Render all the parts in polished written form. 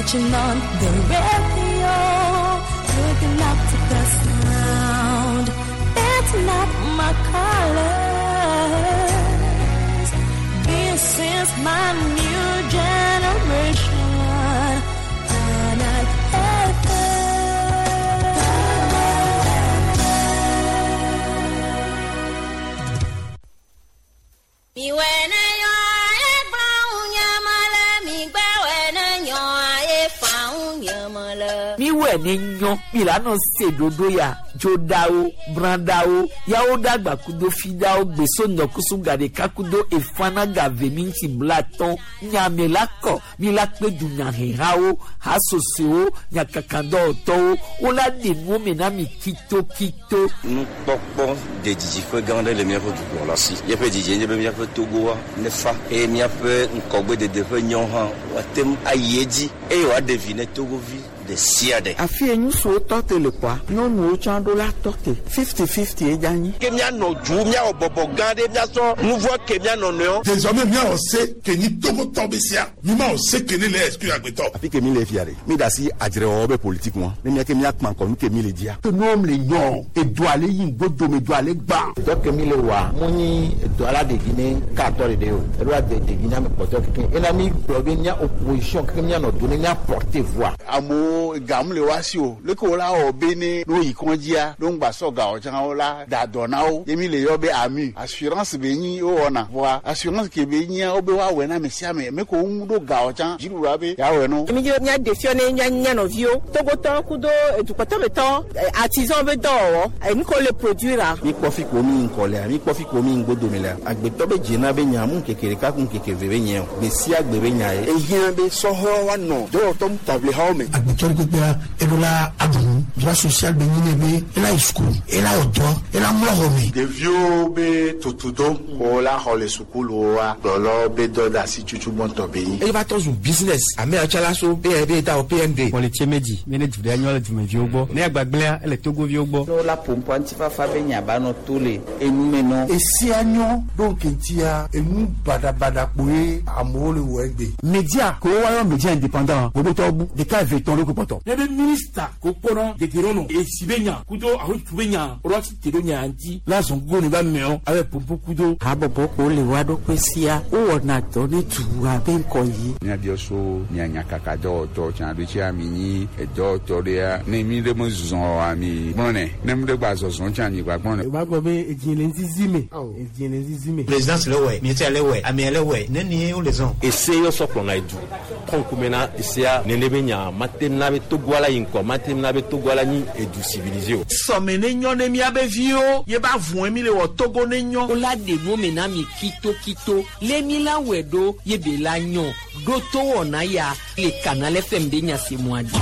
Switching on the radio, waking up to the sound. That's not my colors. This is my new generation. Canal Miwɛ ne nyɔ mi la nɔ se ɖoɖo ya dzoɖawo brãɖawo yawo ɖagba kudo fiɖawo gbeso ŋdɔkusu gaɖeka kudo efana gave minti blatɔn nyame la kɔ mi la kpe dunyahehawo hasosowo nyakakadɔwɔtɔwo wola ɖe nuwo me na mi kitokito. Nukpɔkpɔ de didiƒe gã aɖe le míaƒe dukplɔla si. Míaƒe didie nye be míaƒe Togoa nefa eye míaƒe ŋkɔgbedede ƒe nyɔ hã woate ŋu ayi edzi eye wòaɖe vi ne Togovi ɖe sia ɖe. Afi ye ŋutsuwo tɔ te le kɔa, nyɔnuwo tsã ɖo la tɔ te. 50-50 ye dza nyi. Ke míanɔ du míawɔ bɔbɔ gã ɖe míasɔ nu vɔ ke míanɔ nɔewo. Désormais míawɔ se ke nyi Togotɔ be sia mi ma wɔ se ke ne le exclure agbetɔ. Afi ke mi le fia ɖe, mi da asi adzrewɔwɔ be politique ŋua, ne mía ke míakpã ŋkɔ nu ke mi le dzia. Ke nuwo le nyɔ, edoa le yi ŋgodome, doa le gbã. Dɔ ke mi le wɔa, mu nyi edoa la ɖevi ne katɔ ɖeɖe o, eɖo ade ɖevi na ame kpɔtɔe kekeŋ. Ena mi gblɔ be mía opposition kekeŋ míanɔ do ne mía porter voix. Amewo gamu le woa si o, leke wo la wɔ be ne no yi kɔndzia, no ŋgba sɔ gawo tsã wo la da dɔ na wo. Ye mi le yɔ be AMU, assurance be nyi wowɔna. Vɔa assurance ke be nyia wo be woawɔe na ame sia ame, ame ke wo ŋu ɖo gawo tsã dziɖuɖua be yeawɔe no. Mi dzi mía ɖe fiɔ ne mía mía nɔviwo, Togotɔwo kudo edukɔtɔmetɔ, artisan be dɔwɔwɔ, enu ke wole produire. Mi kpɔ fi ko mi ŋkɔ lea, mi kpɔ fi ko mi ŋgodome lea, agbetɔ be dzena be nya mu ŋkeke ɖeka ku ŋkeke eve be nye o, gbe sia gbe be nya ye. Ehiã be sɔhɛwo woanɔ dɔwɔtɔ ŋutaʋlihawo me. Agbetɔ ɖe kpekpea eɖo la aɖu nu, droit social be nyi ne be ela yi sukulu, ela wɔ dɔ, ela mlɔ xɔ me. Ɖeviwo be tutudo ko la xɔ le sukuluwoa, kplɔlawo be dɔ de asi tutu gbɔntɔ be nyi. Eye va tɔ zu business, ame yawo tsã la so PND ta o PND. Kpɔlitse medzi mi ne du ɖe nyɔ le dumeviwo gbɔ ne agbagblẽa ele Togoviwo gbɔ. Ne wola ƒoƒoa ŋutifafa be nya ba nɔ to le enume nɔ. Esia nyɔ ɖo ŋkeŋtia enu baɖabaɖa kpoe amewo le wɔ egbe. Media ko woayɔ media indépendant gbogbo bu ɖeka eve tɔn ɖo kpɔtɔ. Ne be minista ko kpɔnɔ dedienɔnɔ esi be nya kudo ahotu be nya woɖo asi te ɖo nya ŋuti la zɔn gogo ne ba mɛɔ abe pompo kudo. Habɔbɔ ko le woa ɖokui sia wowɔna dɔ ne dua be ŋkɔ yi. Míabiɔ so mia nyakaka dɔwɔtɔ tsã ɖo tsia mi nyi edɔwɔtɔ ɖea ne mi ɖe me zɔ ami gblɔnɛ ne mi ɖe gba zɔzɔ tsã mi gba gblɔnɛ. O b'a gbɔ be edzi le ŋzizi me edzi le ŋzizi me. Présidence le wɛ miɛtia le wɛ amea le wɛ nenie wo le zɔn. Ese yɔ sɔ kplɔna edu kɔnkume na esea nene be nya mate na be Togoa la yi ŋkɔ mate na be Togoa la nyi edu civilisé o. Sɔme ne nyɔ ne miabe viwo ye ba vɔe mi le wɔ Togo ne nyɔ. Wola ɖe nuwo me na mi kitokito le mi la wɔe ɖo ye be la nyɔ ɖo to wɔna ya le Canal FM be nya se mua dzi.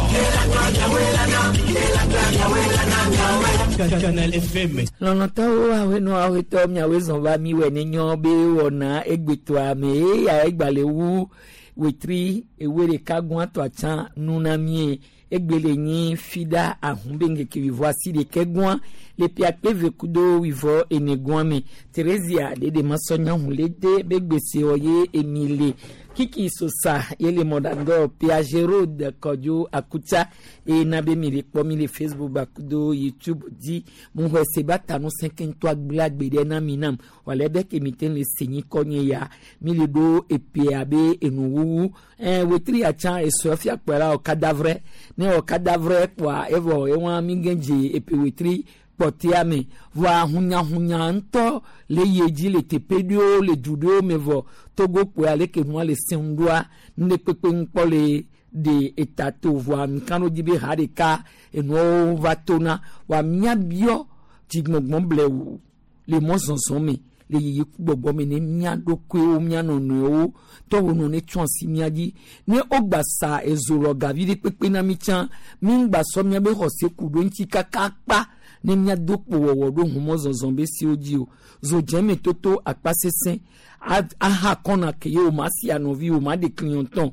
Canal FM. Lɔlɔtɔwo awenɔ awetɔ miawoe zɔn va mi wɔ ne nyɔ be wɔna egbetoa me eya egba le wu wetri ewe ɖeka gbɔn atɔ atsã nuna mie egbe le nyi fida ahun be ŋkeke wivɔ asi ɖeke gbɔn le pia kpe ve kudo wivɔ ene gbɔn me Theresia ɖeɖe masɔ nyahu le de be gbese wɔ ye emi le kiki sosa ye le mɔɖaŋdɔ Piagerode Kɔdzo Akutsa eye na be mi le kpɔ mi le Facebook bakudo YouTube dzi mu xɔ se ba ta nu sɛnkɛntɔ agble agbe ɖe na mi nam wòle be ke mi te le se nyi kɔ nye ya mi le ɖo epea be enuwuwu wetri atsã esɔ fia kpɔ la wɔ cadavre ne wɔ cadavre kpɔa evɔ ewa mi gɛ dze epe wetri kpɔtea me vɔa hunyahunya ŋutɔ le yie dzi le teƒe ɖewo le du ɖewo me vɔ Togo kpoe ale ke nua le sẽŋ ɖoa nu ɖe kpekpe ŋkpɔ le de eta to vɔa nka ɖo dzi be ha ɖeka enuawo va tona vɔa míabiɔ dzigbɔgbɔ blewu le mɔzɔzɔ me le yiyi ku gbɔgbɔ me ne mía ɖokuiwo mía nɔnɔewo tɔwo nɔ ne tsɔ asi mía dzi ne wogba sa ezo lɔ gavi ɖe kpekpe na mi tsã mi ŋgba sɔ míabe xɔse ku ɖo ŋuti kaka kpa ne míado kpo wɔwɔ ɖo humɔzɔzɔ be siwo dzi o zodzeme toto akpa sesẽ aha kɔna ke ye o ma si anɔvi o ma ɖe clientɔn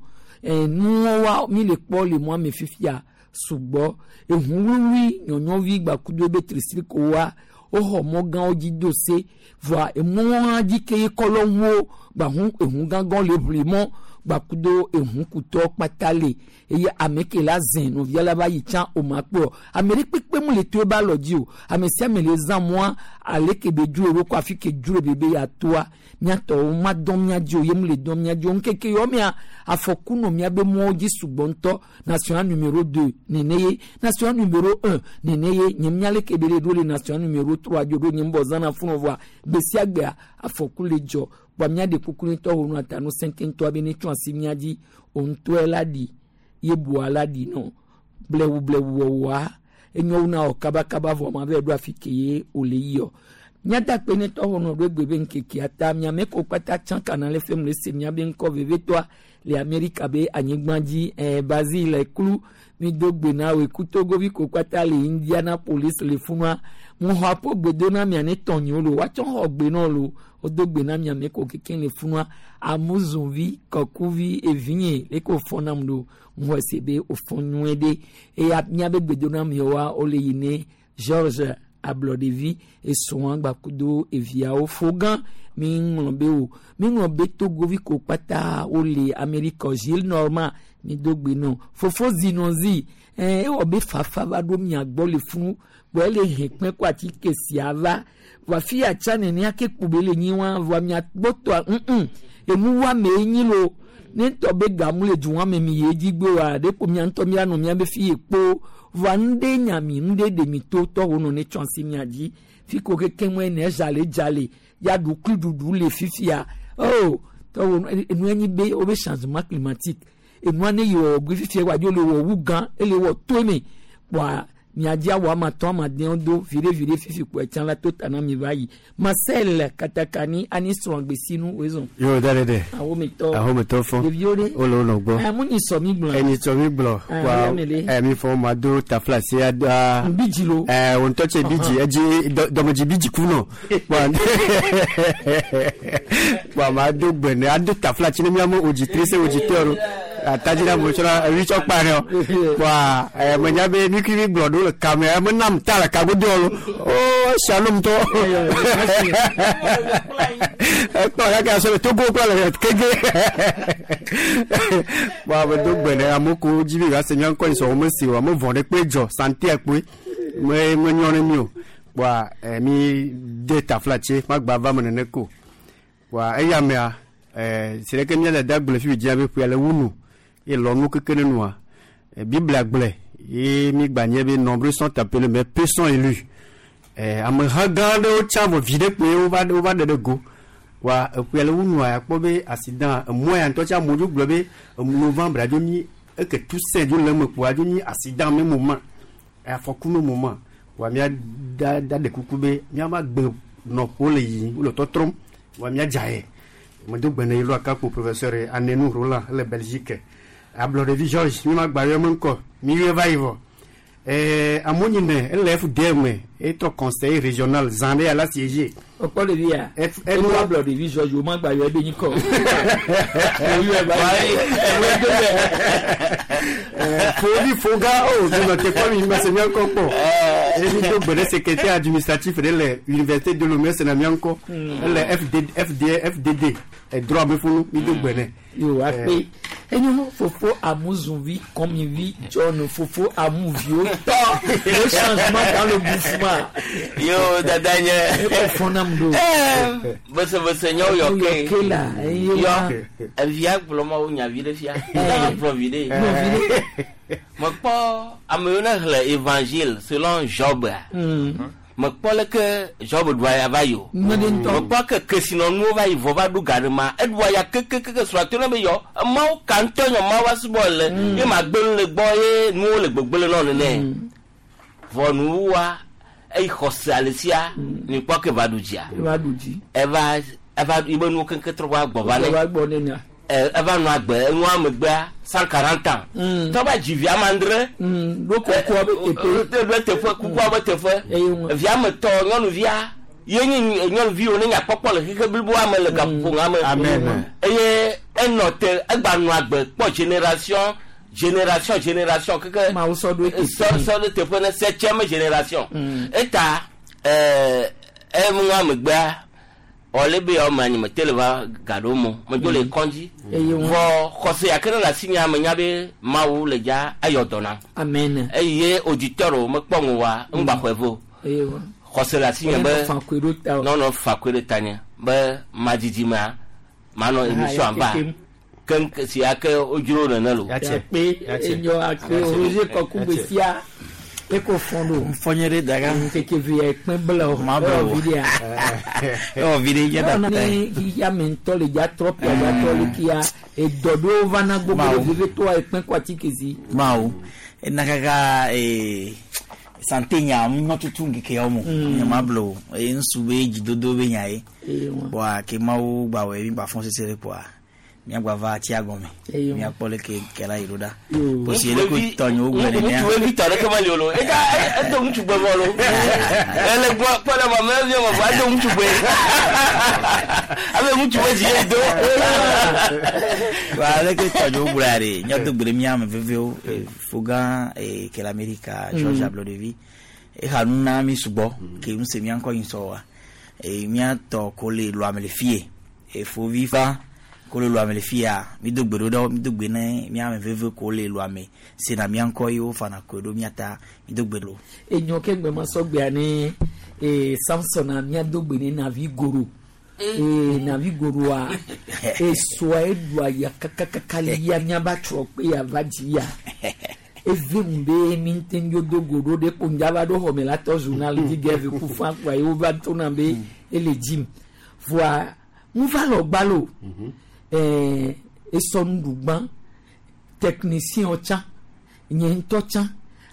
nuwo wa mi le kpɔ le mɔa me fifia sugbɔ ehu wluwlui nyɔnyɔvi gbakudo be trisiriko wa woxɔ mɔ gãwo dzi do se vɔa emɔa dzi ke ye kɔlɔ ŋuwo gbahu ehu gãgã le ʋli mɔ. gbakudo ehun kutɔ kpata le eye ame ke la zẽ nɔvia la va yi tsã o ma kpɔ ame ɖe kpekpe mu le to ebe alɔ dzi o ame sia ame le zã mɔa ale ke be dzro ɖo ko afi ke dzro be be yeatoa míatɔwo ma dɔn mía dzi o ye mu le dɔn mía dzi o ŋkeke yɔ mea afɔku nɔ míabe mɔwo dzi sugbɔ ŋutɔ national numéro 2 nene ye national numéro 1 nene ye nye mía leke be le ɖo le national numéro 3 dzo ɖo nye ŋbɔ zãna funu vɔa gbe sia gbea afɔku le dzɔ kpɔa mía ɖe kuku ŋutɔ wo nu ata nu sẽte ŋutɔ be ne tsɔ asi mía dzi o ŋutɔe la ɖi ye bua la ɖi nɔ blewu blewu wɔwɔa enyo na wɔ kabakaba vɔ ma vɛ ɖo afi ke ye wòle yiyɔ míadakpe ne tɔwɔ nɔ ɖo egbe be ŋkekea ta miame ko kpata tsã kana le fem le se miabe ŋkɔ vevitɔa le amerika be anyigba dzi ɛɛ bazil klu mi do gbe na woe ku togovi ko kpata le indianapolis le funua mo xɔ aƒo gbe do na mia ne tɔnyiwo lo woatsɔ xɔ gbe na wo lo wodo gbe na miame ko keke le funua amuzunvi kɔkuvi evinye leke wòfɔ nam ɖo ŋu ese be wòfɔ nyuie ɖe eya miabe gbedonamiewoa wole yi ne george ablɔɖevi esrɔ̃a gbakudo eviawo fo gã mi ŋlɔ be o mi ŋlɔ be togovi ko kpata wole amerika gilles norma mi do gbe nɔ fofo zinɔzi ɛɛ ewɔ be fafa va ɖo mia gbɔ le funu gbɔ ele hɛn kpɛ kó atike sia va vɔ afi ya tsa nenea ke kpo be le nyi wa vɔ mia gbɔ tɔa ŋŋ enu wa me nyi lo ne ŋutɔ be gamu le du wa me mi ye dzi gbe wa ɖe ko mia ŋutɔ mia nɔ mia be fi ye kpo vɔa nu ɖe nya mi nu ɖe ɖe mi to tɔwo nɔ ne tsɔ asi mia dzi fi ko keke ŋue ne dzale dzale ya ɖukui ɖuɖu le fifia o tɔwo enua nyi be wobe changement climatique enua ne yi wɔ gbe fifia wa dzo le wɔ wu gã ele wɔ to me kpɔa miadzi awɔ ama tɔn ama dewo do viɖe viɖe fifi kpɔ etsã la to ta na mi va yi marcel katakani ani srɔ̃ gbesinu wezɔn. Yo da ɖe. Ahometɔ. Ahometɔ fɔ. Ɖeviwo ɖe. Wole wo nɔ gbɔ. Ɛ mu nyi sɔ mi gblɔ. Enyi sɔ mi gblɔ. Ah, Wa ya me le. ɛ mi fɔ ma do tafla si a. Bidzi lo. Ɛ o ŋutɔ tse bidzi edzi dɔmedzi bidzi ku nɔ. Wa wa ma do gbe ne ado tafla tsi ne miame auditrice auditeur o. Atadzi na mo tsɔna ewi tsɔ kpa ne o. Wa ɛ menya be nukui mi gblɔ ɖo le kame eme nam ta le kagodo lo. O shalom tɔ. Ekpɔ kaka sɔ le Togo kple le kege. Wa me do gbe ne amewo ko dzi be yewoase mía ŋkɔ yi sɔ wo mesi o ame vɔ ɖe kpe dzɔ santé kpoe me menyɔ ne mi o. Wa ɛ mi de tafla tse magba va me nene ko. Wa eya mea ɛ si ɖeke mía dada gblɔ fi dzia be ƒea le wu nu ye lɔ nu keke ne nua. Ɛ Biblia gblɔe ye mi gba nye be nombreux sont appelés mais peu sont élus. Ɛ ameha gã aɖewo tsã vɔ vi ɖe kpoe wova wova ɖe ɖe go. Wa eƒea le wu nua akpɔ be accident emɔ ya ŋutɔ tsa amewo dzo gblɔ be novembre adzo nyi eke toussaint dzo le eme kpoa adzo nyi accident me moment afɔku me moment wa mía da da ɖe kuku be míava gbe nɔƒewo le yiyim wole tɔtrɔm wa míadza ye medo gbe ne yi lo akakpo professeur Anenu Roland le Belgique ablɔɖevi George mi ma gba yɔ me ŋkɔ mi yɔe va yi vɔ ɛɛ amewo nyine ele FDM etɔ conseiller régional zã ɖe ala siège Ọkpɔ ɖevi ya. Enu ablɔ ɖevi George o ma gba yɔ ebe nyi kɔ. Fovi foga o mi nɔ te kpɔ mi ma se mía ŋkɔ kpɔ eye mi do gbe ɖe secrétaire administratif ɖe le université de Lomé sena mía ŋkɔ ele FD FD FDD edroit me funu mi do gbe nɛ. Yo akpe. Enyo fofo amuzunvi kɔmivi John fofo amuviwo tɔ le changement dans le mouvement. Yo dada nye. Ekɔ fɔnam do. Bese nyawo yɔ ke. Yɔ ke la. Eye wa. Yɔ evia gblɔ ma wo nya vi ɖe fia. Eva gblɔ vi ɖe. Mekpɔ ame yiwo ne xlẽ évangile selon Job a. Mekpɔ leke Job ɖua ya va yi o. Mekpɔ ke kesinɔnuwo va yi vɔ va ɖo ga ɖe ma. Eɖua ya kekekeke srɔ̃a to ne be yɔ. Mawu ka ŋutɔ nyɔ Mawu va subɔ le. Ye ma gbe nu le gbɔ ye nuwo le gbegble nɔ nene. Vɔ nuwuwua eyi xɔse ale sia ni kpɔ ke va ɖu dzia. Eva ɖu dzi. Eva eva yibe nuwo keŋkeŋ trɔ va gbɔ va ne. Eva gbɔ ne nya. Ɛ eva nɔ agbe enua megbea 140 ans. Tɔ va dzi vi ame adre. Ɖo kukua be teƒe. Ɖo teƒe kukua be teƒe. Via me tɔ nyɔnuvia ye nye nyɔnuvi wo ne nya kpɔkpɔ le xexe bliboa me le gaƒoƒo ŋa me. Amen. Eye enɔ te egba nɔ agbe kpɔ génération génération génération keke. Mawu sɔ ɖo teƒe. Sɔ sɔ ɖo teƒe ne septième génération. Eta ɛɛ enua megbea Ɔle be yawo me anyi me te le va gaɖo mo medzo le kɔndzi. Eye wọn- Vɔ xɔse ya ke ne le asi nya me nya be Mawu le dza ayɔ dɔ nam. Amen. Eye auditeur wo mekpɔ ŋu wa ŋgba xɔe vo. Eye wọn. Xɔse le asi nye Ɔle be nɔ fa koe ɖo ta o. nɔnɔ fa koe ɖe ta nye be madzidzi mea manɔ Ah, émission ya va kekem. keŋ si ya ke wodzro nene lo. Akpe enyo akpe Roger Kɔkugbe sia eko fɔn do. Nfɔnye ɖe daga. Keke vi ya ekpe bla o. Ma bla o. Ewɔ vi ɖea. Ewɔ vi ɖe dze Ewɔ da ne xixia me ŋutɔ le dza trɔ pia dza trɔ le kia edɔ ɖewo va na gbogbo Mawu. ɖe veve toa ekpe kɔ atike si. Mawu ena kaka santé nya nyɔ tutu ŋkeke yawo mo nye ma blo o eye ŋutsu be dzidodo be nya ye Eye wọn. kpoa ke mawu gbawɔe mi gba fɔn sese ɖe kpoa miagba va atsia gɔme Eye wọn. miakpɔ leke ke la yi ɖo ɖa Yo. posi ele ko tɔnyewo gblɔ nenea Ŋutsu vi tɔ ɖeke meli o lo eka edo ŋutsu gbe vɔ lo ele gbɔ kpɔ ɖe ma mɛ vi ma vɔ edo ŋutsu gbe abe ŋutsu be dzi ye do. Wa leke tɔnyewo gblɔ ya ɖe míado gbe ɖe mía ame vevewo fogã ke le Amerika George Ablɔɖevi exa nu na mi sugbɔ ke nu se mía ŋkɔ nyi sɔ wa míatɔ ko le lɔame le fie efovi fa ko le lɔame le fia mi do gbe ɖo ɖe mi do gbe ne mía ame veve ko le lɔame sena mía ŋkɔ ye wo fana koe ɖo mía ta mi do gbe ɖo. Enyo ke gbe ma sɔgbea ne Samson a mía do gbe ne navi goro. Navi goroa esoa eɖua ya kakakaka le ya míaba trɔ kpe ya va dzi ya. Eve mu be mi ŋute ŋdzo do go ɖo ɖe ko ŋdza va ɖo xɔme la tɔ journal dzi ge eve ku fã kpoa ye wova tona be ele dzim. Voa ŋu va le gbalo esɔ nuɖugbã technicien tsã nye ŋutɔ tsã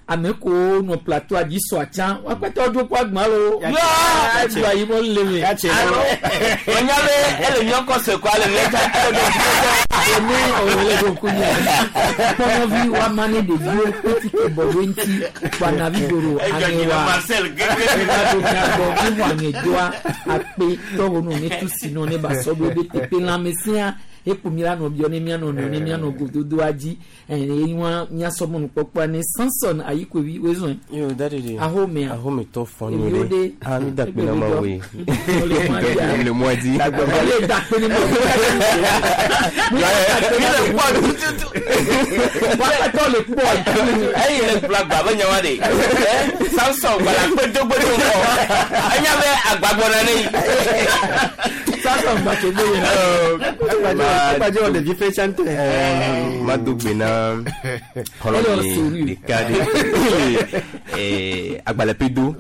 ame kewo nɔ plateau dzi sɔa tsã woakpɛtɔ dzo kó agbã lo eɖua yi mɔ le me. Wònya be ele míɔ kɔ se kɔ ale míɔ ta ele ɖo dzi kɔ. Ene òwòle ɖo kunya kpɔnɔvi woama ne ɖeviwo kpetike bɔ ɖo ŋuti kpanavi goro Edzɔ dzi na aŋewa Marcel gege. eva ɖo miagbɔ míxɔ aŋedoa akpe tɔwo nɔ ne tu si nɔ ne ba sɔ ɖo be teƒe lãmesẽa ekpo mi la nɔ biɔ ne mianɔ nɔ ne mianɔ gododoa dzi eye wa miasɔ mɔnukpɔkpɔa ne Samson Ayikovi wezɔn Yo, daddy de. ahomea Ahometɔ fɔ Eviwo nyuie ɖe. ɖe. Ah, mi da kpe na ma woe. Le mɔ dzi. Le mɔ dzi. Ele da kpe ne ma Mi le kpɔ tututu. Woakpɛtɔ le kpɔ. Eyi le gblɔ agba be nyawa de. Samson gbala kpedogbedó kɔ. Enya be agba gbɔna ne yi. Samson gbàtɛ gbé yẹn. Agbadze wɔ ɖevi ƒe tsã ŋutɔ. Ma do gbe na xɔlɔ̃nye ɖeka ɖe agbalẽpedo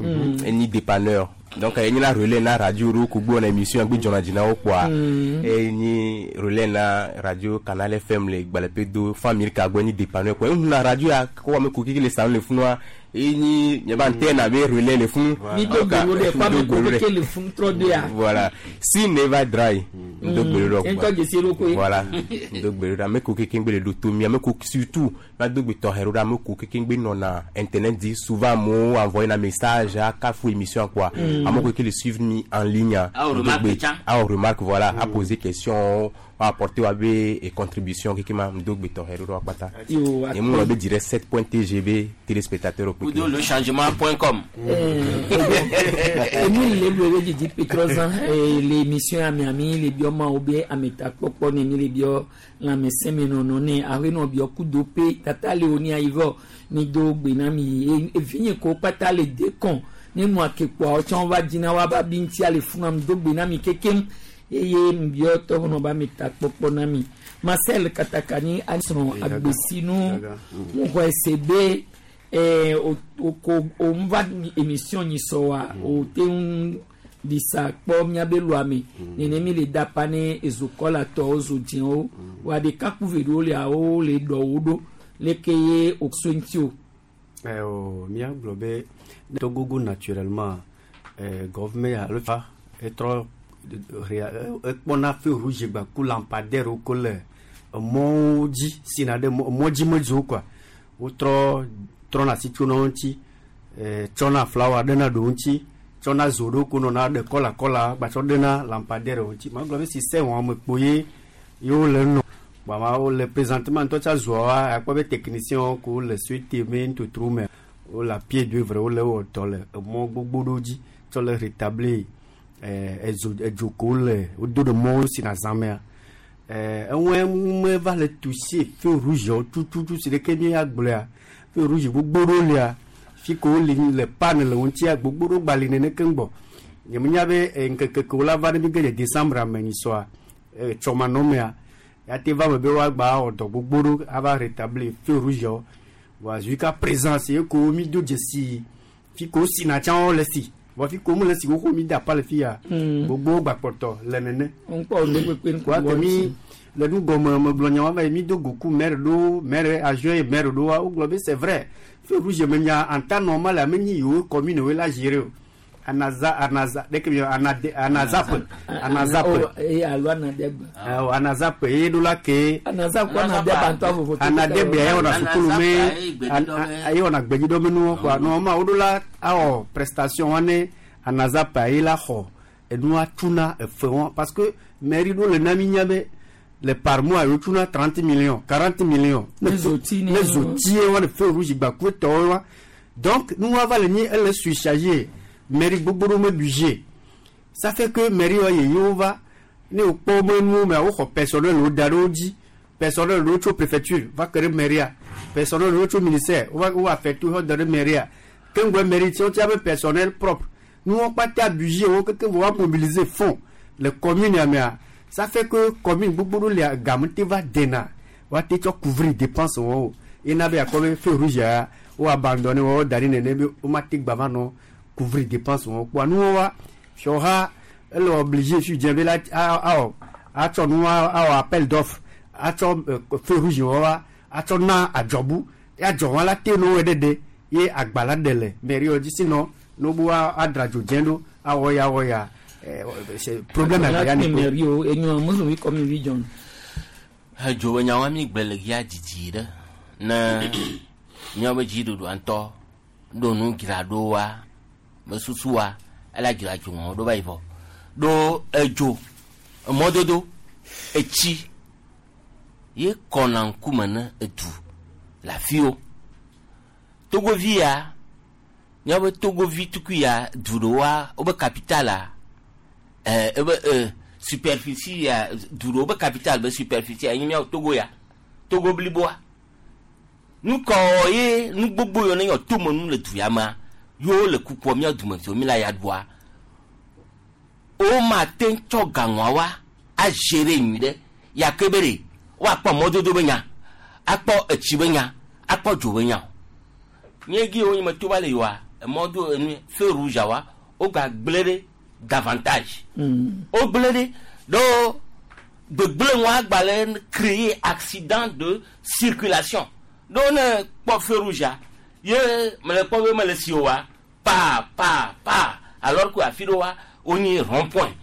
enyi dépanneur donc enyi la relais na radio ɖo ko gbɔna émission gbe dzɔna dzi na wo kpoa enyi relais na radio Canal FM le gbalẽpedo fan milka gbɔ enyi dépanneur kpoa ehun na radio ya ko ame ko keke le salon le funua enyi nye ba antenne abe relais le funu. Mi do gbèrò ɖe kó ame ko keke le funu trɔ de ya. Voilà si never dry ndo gbèrò ɖe Ŋutɔ dzesi ɖokui. Voilà ndo gbèrò ɖe ame ko keke ŋgbe le ɖo to mi ame ko surtout ma do gbe tɔxɛ ɖo ɖe ame ko keke ŋgbe nɔna internet dzi souvent amewo envoyer na message akafu émission quoi. Ame ko keke le suivre mi en ligne. Ah, o Ndo remarque gbe- tsã. ah o remarque voilà a poser question a apporter wa be et contribution keke ma ndo gbe tɔxɛ ɖo ɖe wa kpata. Yo, Emu ŋlɔ be direct 7.tgb téléspectateur Kudo le changement.com. Enu le lu ebe didi petrɔzã le émission ame ami le biɔ ma wo be ametakpɔkpɔ ne mi le biɔ lãmesẽmenɔnɔ ne aƒe nɔ biɔ kudo pe tata le wo ni ayivɔ mi do gbe na mi evinye ko kpata le de kɔn ne nua ke kpoa wotsã va dzina wa ba bi ŋutia le funu mi do gbe na mi kekem eye mi biɔ tɔxɔnɔ ba ametakpɔkpɔ na mi Marcel Katakani asrɔ̃ agbesinu ŋuxɔ ese be o ko o ń va émission nyi sɔ wa o te ŋu ɖisa kpɔ míabe lɔame nene mi le dapa ne ezokɔla tɔwo zo dzɛwo wa ɖeka ku ve ɖewo lia wo le ɖɔwo ɖo leke ye o so ŋuti o. O míagblɔ be Togogo naturellement gɔvme alo fa etrɔ ekpɔna feu rouge gba ku lampadaire wo ko le emɔwo dzi sina ɖe mɔ dzi medzo quoi wotrɔ trɔna asi tsona wo ŋuti tsɔna flawa ɖena ɖewo ŋuti tsɔna zo ɖewo ko nɔna ɖe kɔla kɔla gbatsɔ ɖena lampadaire wo ŋuti magblɔ be système wɔme kpo ye yewo le nɔ gbama wole présentement ŋutɔ tsa zoa akpɔ be technicien ko le suite me ntotro me wole à pied d'œuvre wole wɔ dɔ le emɔ gbogbo ɖewo dzi tsɔ le rétablir Ezo edzo ko le wodo ɖe mɔwo si na zã mea. Eŋue me va le toucher feu rouge wo tututu si ɖeke mi agblɔa feu rouge gbogbo ɖewo lia fi ko wole le panne le wo ŋutia gbogbo ɖewo gba li nene keŋ gbɔ. Nye menya be ŋkeke ke wola va ne mi ge dze décembre me nyisɔa tsɔmanɔmea ya te va me be woagba wɔ dɔ gbogbo ɖo ava rétablir feu rouge wo. Voa jusqu'à présent c'est ko mi do dzesi fi ko sina tsã wo le si vɔ fi ko mu le si xoxo mi da pa le fi ya gbogbo gbakpɔtɔ le nene. Ŋkpɔ ne kpekpe ŋkɔ Wa ke mi le nu gɔme megblɔ nya wa va yi mi do goku maire ɖo maire adjoint maire ɖo wa wogblɔ be c'est vrai feu rouge me nya en temps normal ame nyi yiwo commune wo la gérer o anaza anaza ɖeke mi anade anazap anazap eye alo anadegbe. Awɔ anazap ye ɖo la ke Anazap kɔ anadegbe ŋutɔ vovo. Anadegbe ye wɔna sukulu me ye wɔna gbedzidɔ nuwo kɔa nɔma wo ɖo la awɔ prestation wa ne anazap ye la xɔ enua tuna efe wɔn parce que mairie ɖo le na mi nya be le par mois yewo tuna 30 millions 40 millions. Ne zoti ne zoti ye wa ne feu rouge gbaku tɔwo wa donc nua va le nyi ele surchargé mairie gbogbo ɖo me budget ça fait que mairie wa yeyewo va ne wokpɔ wo nuwo mea woxɔ personnel wo da ɖe wo dzi personnel ɖewo tso préfecture va ke ɖe mairie personnel ɖewo tso ministère wova wo affecté wo da ɖe mairie keŋgbe mairie tiwo tia be personnel propre nuwo kpata budget wo keke vɔ wa mobiliser fonds le commune ya mea ça fait que commune gbogbo ɖo lia game te va dena wa te tsɔ couvrir dépense wɔn o ena be akɔ be feu rouge ya wo abandonné wo da ɖi nene be wo ma te gba va nɔ couvrir dépense wɔn kpoa nuwo wa fiɔha ele obligé fi dze be la awɔ atsɔ nua awɔ appel d'offre atsɔ feu rouge wɔ wa atsɔ na adzɔbu ya adzɔ wɔn la te no wɔ ɖeɖe ye agba la ɖe le mairie wɔ dzi sinɔ n'obu adra dzo dze ɖo awɔ ya awɔ ya c'est problème agba ya ni ko. Mairie o enyo musu wi kɔmi wi jɔn. Edzo be nyawoa mi gbe le ya didi ɖe ne míawobe dziɖuɖua ŋutɔ ɖo nu dzra ɖo wa mesusu wa ela dzra dzo wɔn ɖo va yi vɔ ɖo edzo emɔdodo etsi ye kɔna ŋkume ne edu le afiwo togovi ya míawobe togovi tukui ya du ɖewoa wobe capital a ebe superficie ya du ɖewo be capital be superficie ya nye míawo Togo ya Togo bliboa nukɔ ye nu gbogbo yiwo ne nyɔ tome nu le du ya mea yewo le kukua míawo dume fi mi la ya ɖua woma te tsɔ gaŋua wa agere nyui ɖe ya ke be ɖe woakpɔ mɔdodo be nya akpɔ etsi be nya akpɔ dzo be nya o nye gi wo nye me to va le yiwa emɔdo enu feu rouge wa wogba gblẽ ɖe davantage wogblẽ ɖe ɖo gbegblẽ ŋua agbalẽ créer accident de circulation ɖo ne kpɔ feu rouge ye mele kpɔ be mele si o wa pa pa pa alors que afi ɖe wa wonye rond point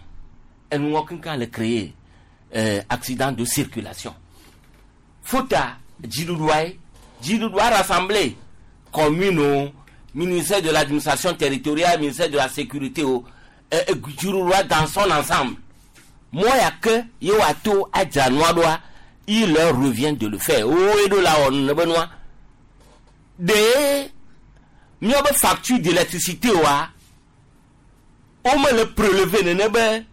enuwɔ kankan le créer accident de circulation fota dziɖuɖua ye dziɖuɖua rassemblé commune o ministère de l'administration territoriale ministère de la sécurité o dziɖuɖua dans son ensemble mɔ ya ke ye woato adzra nua ɖoa il leur revient de le faire wo ye ɖo la wɔ nene be nua ɖe míawo be facture d'électricité wa wome le prélever nene be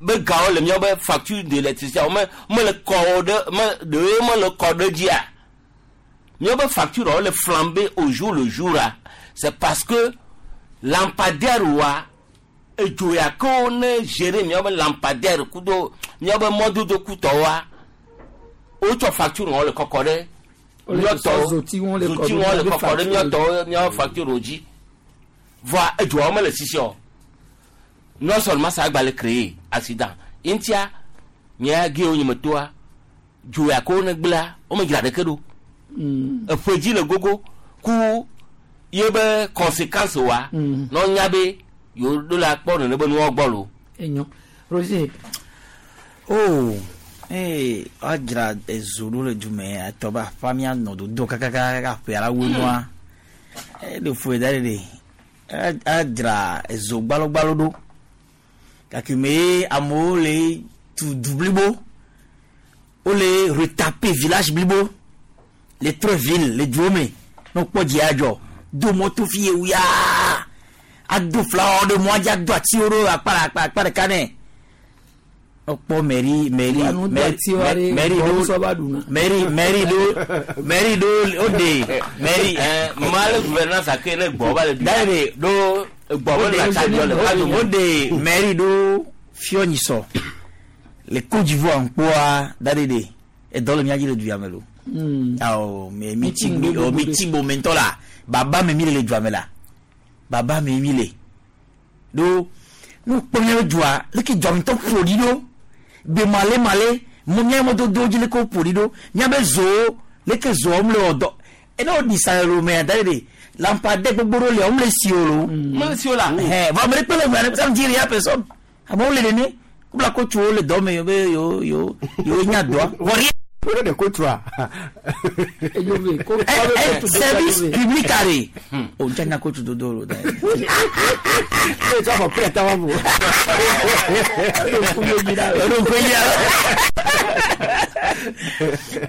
be gawo le míawo be facture d'électricité wome mele kɔ ɖe me ɖewoe mele kɔ ɖe dzia míawo be facture wo le flamber au jour le jour la c'est parce que lampadaire wa edzo ya ke wo ne gérer míawo be lampadaire kudo míawo be mɔdodo kutɔ wa wotsɔ facture wɔn le kɔkɔ ɖe míatɔwo zoti wɔn le zoti wɔn le kɔkɔ ɖe míatɔwo míawo facture wo dzi voa edzoawo mele sisi o non seulement ça agba le créer accident ŋutia nye ge wo nye me toa dzo ya ke wo ne gblẽa wo me dzra ɖeke ɖo eƒe dzi le gogo ku ye be conséquence wa ne wonya be yewo ɖo la kpɔ nene be nuwo gbɔ lo. Enyo Roger. Oh ee woadzra ezo ɖo le dume atɔ be aƒea mianɔ dodo kakakaka aƒea la wu nua eɖe fu da ɖe ɖe adzra ezo gbalogbalo ɖo gake me amewo le tu du blibo wole retaper village blibo le trɔ ville le duwo me ne wokpɔ dzi adzɔ do mɔto fi ye wuyaa Ado flawa ɖe mɔa dzi ado atiwo ɖo akpa akpa akpa ɖeka nɛ. Ekpɔ mairie mairie Anu do atiwo ɖe mairie gbɔwo ɖo sɔ va ɖuna. mairie mairie ɖo mairie ɖo o de mairie. Male gouvernance ake ne gbɔ ba le du. Daye ɖo gbɔ be le tsa dzɔ le o de mairie ɖo fiɔnyisɔ le Côte d'Ivoire ŋkpɔa da de de edɔ le mía dzi le du ya me lo. Awɔ mi mi ti mi o mi ti bo me ŋutɔ la baba me mi le le dua me la baba me mi le ɖo nu kpɔ mía be dua leke dua ŋutɔ ƒo ɖi ɖo be male male mo mía mɔdodo dzi leke wo ƒo ɖi ɖo mía be zowo leke zowo mu le wɔ dɔ ene wo ɖi sa le lo mea da de de lampadaire gbogbo ɖewo lia wo mu le si o lo. Mu le si o la. Hɛn vɔ ame ɖe kpe le ŋua ça veut dire ya personne amewo le nene wobla kotsuwo le dɔ me be yewo yewo yewo nya dɔa vɔ rien. Wole de kotua. Service public are o n nya kotsu dodo lo da. Ne tsɔ xɔ pɛrɛ tawa bo.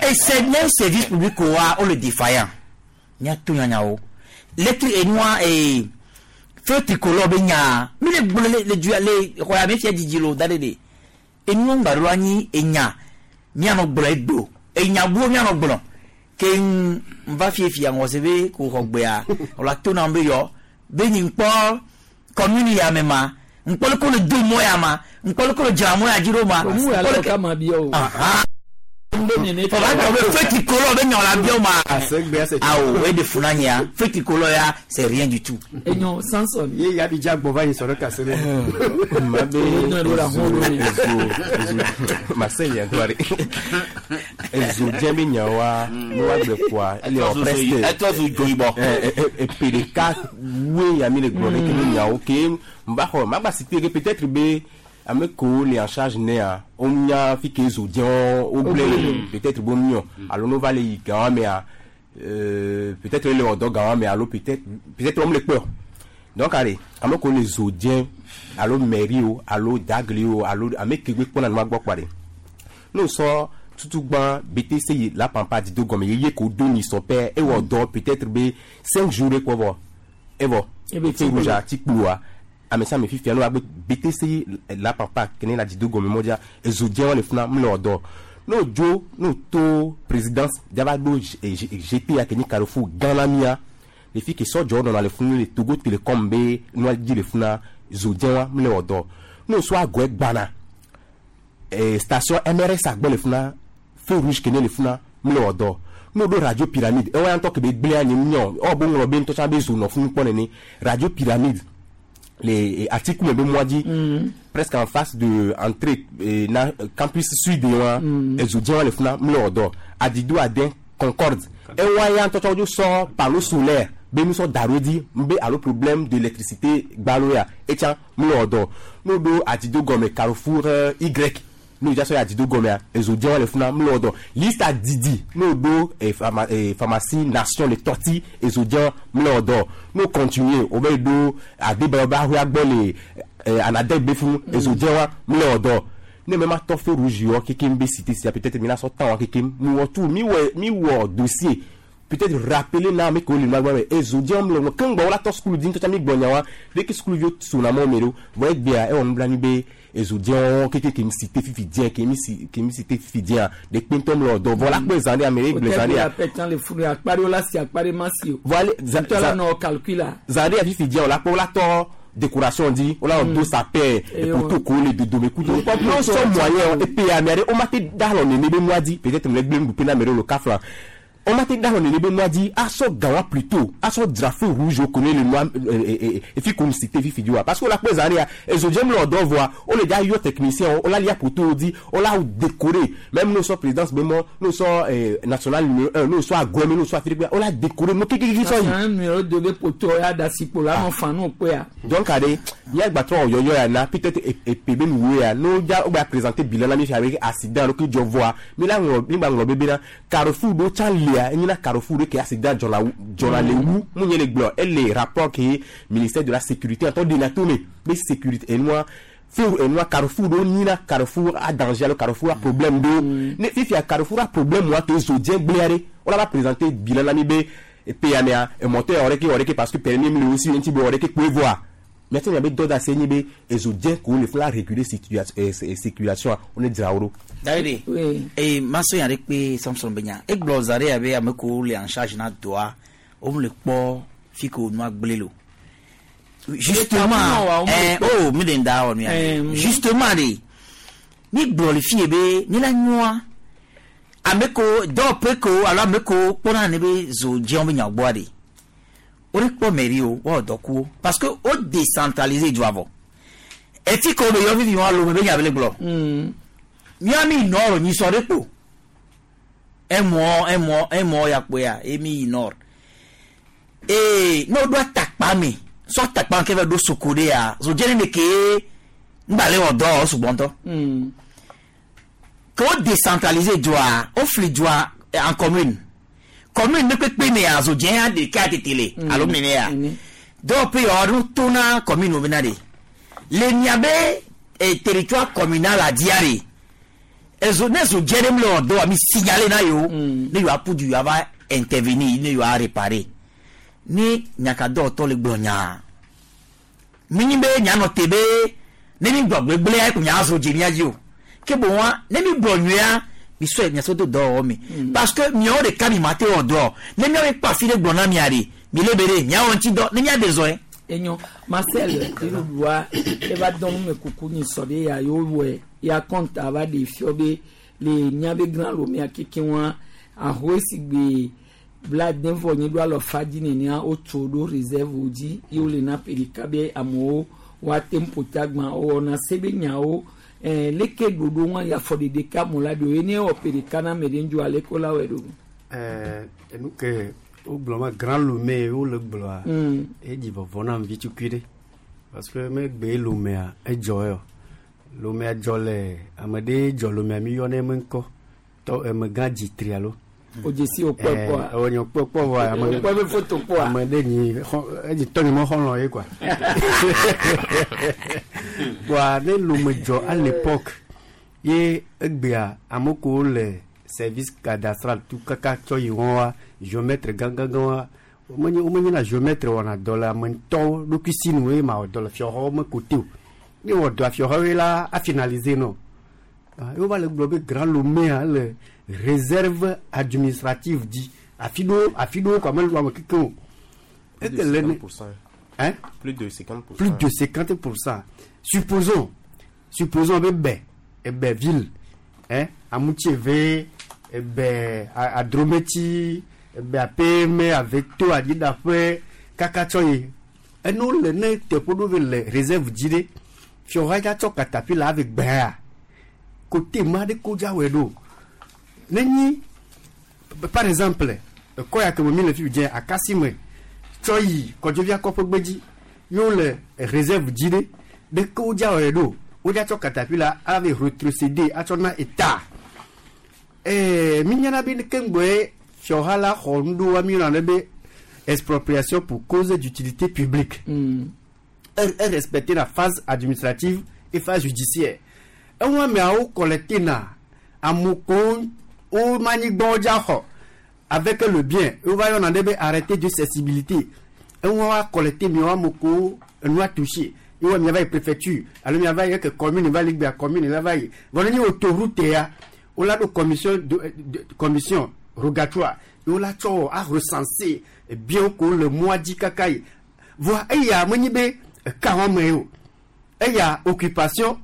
Et c'est bien service public wa o le défaillant. Nya to nya nya o. Lettre et noir et feu tricolore be nya. Mi le gblɔ le le du le xɔ ya mi fia dzidzi lo da ɖe de. Enu ŋgba ɖo anyi enya mianɔ gblɔ egbe enya buwo mianɔ gblɔ ke n va fiefia ŋɔ se be ko xɔ gbea wòle to na be yɔ be nyi ŋkpɔ commune ya me ma ŋkpɔ le ko le do mɔ ya ma ŋkpɔ le ko le dzra mɔ ya dzi ɖo ma. Òun wà lọ ká máa bí ọ o. Fọba tɔ be feu tricolore be nyɔ la biɔ ma. Awo e de funa nyia feu tricolore ya c'est rien du tout. Enyo Samson. Ye ya bi dza gbɔ va yi sɔrɔ kase ne. Ma be ezo ezo ezo ma se nya ŋutɔ ɖe. Ezo dze be nyawoa ne woagblɔ kɔa ele wɔ presque. Etɔ zu dzo yibɔ. Epe ɖeka woe ya mi le gblɔ ɖe ke be nyawo ke n ba xɔ ma gba si te ke peut-être be ame kewo le en charge nea wonya fi ke zo dze wo gblẽ le peut-être be womiɔ alo ne wova le yi gawa mea peut-être ele wɔ dɔ gawa me alo peut-être peut-être wɔm le kpɔ donc ale ame kewo le zo dze alo mairie o alo dagli o alo ame ke gbe kpɔna nua gbɔ kpa ɖe ne wosɔ tutugbã BTC yi la pampa di do gɔme ye ye ko do nyi sɔ pɛ ewɔ dɔ peut-être be 5 jours ɖe kpɔ vɔ evɔ Ebe ti rouge a ti kploa ame sia ame fifia ne woagbe BTC yi la pampa kene la di do gɔme mɔdzia ezo dze le funa mu le wɔ dɔ ne wodzo ne woto présidence dzava ɖo GP ya ke nyi carrefour gã la mia le fi ke sɔdzɔwo nɔna le funu le Togo Telecom be nua dzi le funa zo dze wa mu le wɔ dɔ ne wosɔ agɔe gbana station MRS agbɔ le funa feu rouge kene le funa mu le wɔ dɔ ne woɖo radio pyramide ewa ya ŋutɔ ke be gblẽ anyi nyɔ ewɔ be ŋlɔ be ŋutɔ tsã be zo nɔ funu kpɔ nene radio pyramide le atiku me be mɔa dzi presque en face de entrée na campus sud wa ezo dze wa le funa mu le wɔ dɔ adido ade concorde ewa ya ŋutɔ tsã wodzo sɔ panneau solaire be nu sɔ da ɖo dzi be alo problème d'électricité gbalo ya etsã mu le wɔ dɔ ne woɖo adido gɔme carrefour Y ne wodza sɔ yi adido gɔmea ezo dze wa le funa mu le wɔ dɔ lista didi ne woɖo pharmacie nation le tɔti ezo dze wa mu le wɔ dɔ ne wo continue wo be ɖo adebayo be ahoa gbɔ le anadɛ be funu ezo dze wa mu le wɔ dɔ ne me ma tɔ feu rouge yɔ kekem be cité sia peut-être mi na sɔ tan wa kekem mi wɔ tout mi wɔ mi wɔ dossier peut-être rappeler na ame kewo le nua gbɔ me ezo dze wɔm le ŋu keŋ gbɔ wola tɔ sukulu di ŋutɔ tsã mi gbɔ nya wa ɖeke sukuluviwo sona mɔ me ɖo vɔ egbea ewɔ nublanui be ezo dze wɔwɔ keke ke mi si te fifi dze ke mi si ke mi si te fifi dzea ɖe kpe ŋutɔ mi le wɔ dɔ vɔ la kpɔe zã ɖe ame ɖe gblẽ zã ɖea. Pɛtã le funu akpa ɖewo la si akpa ɖe ma si o. Vɔ ale Ŋutɔ la nɔ calcul la. zã ɖe fifi dzea o la kpɔ wola tɔ décoration di wola wɔ do sapin poto ko le dodome kudo Mm. n'o sɔ moyen epe ame aɖe woma te da alɔ nene be nua di peut-être me le gblẽ nuɖuƒe na ame ɖewo le kafla woma te da alɔ nene be nua di asɔ gawa plutôt asɔ dzra feu rouge wo kone le nua efi ko si te fifi di wa parce que wola kpɔe zã ɖea ezo dzem le wɔ dɔ vɔa wole dza yɔ technicien wo wola lia poto wo di wola décorer même n'o sɔ présidence be mɔ n'o sɔ national numéro 1 n'o sɔ agɔme n'o sɔ afirikpe wola décorer mo kékéké sɔ yi. National numéro 2 be poto ya da sikpo la nɔ fan n'o kpe ya. Donc ade miagba trɔ yɔyɔ ya na peut-être epe be nuwo ya n'o dza wo gba présenter bilan na mi fi avec accident alo ke dzɔ vɔa mi la ŋlɔ mi gba ŋlɔ bebe na carrefour ɖo tsã lia enye na carrefour ɖo ke accident dzɔna dzɔna le wu mu nye le gblɔ ele rapport ke ministère de la sécurité ŋutɔ ɖena to me be sécurité enua feu enua carrefour ɖo nyina carrefour a danger alo carrefour a problème ɖo ne fifia carrefour a problème wa ke zo dze gblẽa ɖe wola va présenter bilan na mi be epe ya mea emɔtɔ ya wɔ ɖeke wɔ ɖeke parce que permis mi le wo si ŋuti be wɔ ɖeke kpoe vɔa Miate miabe dɔ da se nye be ezo dze ko le fila réguler circulation wo ne dzra wo ɖo. David, ee maso yan ɖe kpe Samson be nya. Egblɔ za ɖe abe ame kewo le en charge na dɔa, wo le kpɔ fi ke wonua gblẽ le o. Justement, oh, mi ɖe ŋda wɔ nu ya. Justement ɖe, mi gblɔ le fi ye be mi la nyɔa ame kewo dɔwɔƒe kewo alo ame kewo kpɔna ne be zo dzewo be nya gbɔa ɖe. Wo ɖe kpɔ mairie o, woawɔ dɔ ku wo parce que wo décentraliser dua vɔ. Efi ke wo be yɔ vivi wɔn alo me be nya be le gblɔ. Mía mi nord nyisɔ ɖe kpo. Un mois ya kpoe ya emi yi nord. Ee ne woɖo atakpa me sɔ atakpa ke va ɖo soko ɖe ya zo dze ne ke ŋgba le wɔ dɔ sugbɔ ŋutɔ. Ke wo décentraliser dua, wo fli dua en commune. Commune ne kpekpe me ya zo dze ya ɖeka tete le alo nene ya. Dɔwɔƒe ya wɔɖo to na commune wo bena ɖe. Le miabe territoire communal a dia ɖe. Ezo ne zo dze ɖe mu le wɔ dɔ wa mi signaler na yewo. Ne yewoa ƒu du yewoa va intervenir ne yewoa réparer. Ne nyakadɔwɔtɔ le gblɔ nyaa. Mi nyi be nyanɔ te be ne mi gblɔ gbegblẽa ko nya zo dze mia dzi o. Ke boŋ ne mi gblɔ nyuia mi sɔe miasɔ do dɔwɔwɔ me. Parce que miawo ɖeka mi ma te wɔ dɔ. Ne miawo kpɔ afi ɖe gblɔ na mia ɖe mi le be ɖe miawɔ ŋuti dɔ ne mia de zɔ ye. Enyo Marcel ɖua eva dɔn nu me kuku nyi sɔ ɖe ya yewo wɔe ya kɔnta va ɖe fiɔ be le miabe Grand Lomé keke wa ahoe si gbe 70 nyi ɖo alɔ fa dzi nenea wotso ɖo réserve dzi ye wole na ƒe ɖeka be amewo woate ŋu ƒo ta gbã wowɔna se be nyawo leke ɖoɖo ŋu ya afɔ ɖeɖe ka mo la ɖo ye ne wɔ ƒe ɖeka na ame ɖe ŋdzo ale ko la wɔe ɖo. Enu ke wogblɔ ma Grand Lomé wole gblɔa edzi vɔvɔ nam vi tukui ɖe parce que megbe Lomea edzɔ yɔ Lomea dzɔ le ame ɖe dzɔ Lomea mi yɔ ne eme ŋkɔ tɔ emegã dzi tri alo. O dzesi o kpɔ kpɔa. O nye kpɔ kpɔ vɔ ame O kpɔ be photo kpɔa. Ame ɖe nyi xɔ edzi tɔ nye me xɔlɔ̃ ye quoi. Kpɔa ne Lome dzɔ à l'époque ye egbea ame kewo le service cadastral tu kaka tsɔ yi wɔn wa géomètre gãgãgã wa womenye womenye na géomètre wɔna dɔ le ame ŋutɔwo ɖokui si nu ye ma wɔ dɔ le fiɔxɔwo me kote o ne wɔ dɔ fiɔxɔwoe la afinaliser nɔ. Ah, ye wova le gblɔ be Grand Loméa le réserve administrative dzi afi ɖewo afi ɖewo kɔ ame ame keke o. Plus de Eke le ne 50%. Hein? Plus de 50%. Plus de 50%. Supposons be bɛ ebe ville, hein, Amutsieve, ebe Adrometi, ebe Apeme, Aveto, Adidaƒe, kaka tsɔ yi. Enu le ne teƒe ɖo ve le réserve dzi ɖe. Fiɔha dza tsɔ katapila ave gbɛa. Kote ma ɖe ko dza wɔe ɖo. Ne nyi par exemple, ekɔ ya ke me mi le fi dze akasi me tsɔ yi kɔdzovia kɔƒe gbedzi yewo le réserve dzi ɖe ɖeke wo dza wɔe ɖo wo dza tsɔ katapila ave rétrocéder atsɔ na état mi nyana be ke ŋgbɔe fiɔha la xɔ nuɖowa mi yɔna ɖe be expropriation pour cause d'utilité publique. E respecter la phase administrative et phase judiciaire. Eŋu ameawo collecté na amewo wo manyigbawo dza xɔ avec le bien wova yɔna ɖe be arrêté de cessibilité eŋu wa collecté miawo ame kewo enua touché ye wa miava yi préfecture alo miava yi eke commune va li gbea commune la va yi vɔ ne nyi autoroute ya wola ɖo commission de commission rogatoire ye wola tsɔ wɔ a recenser bienwo kewo le mɔa dzi kaka yi voa eya menyi be eka wɔme ye o eya occupation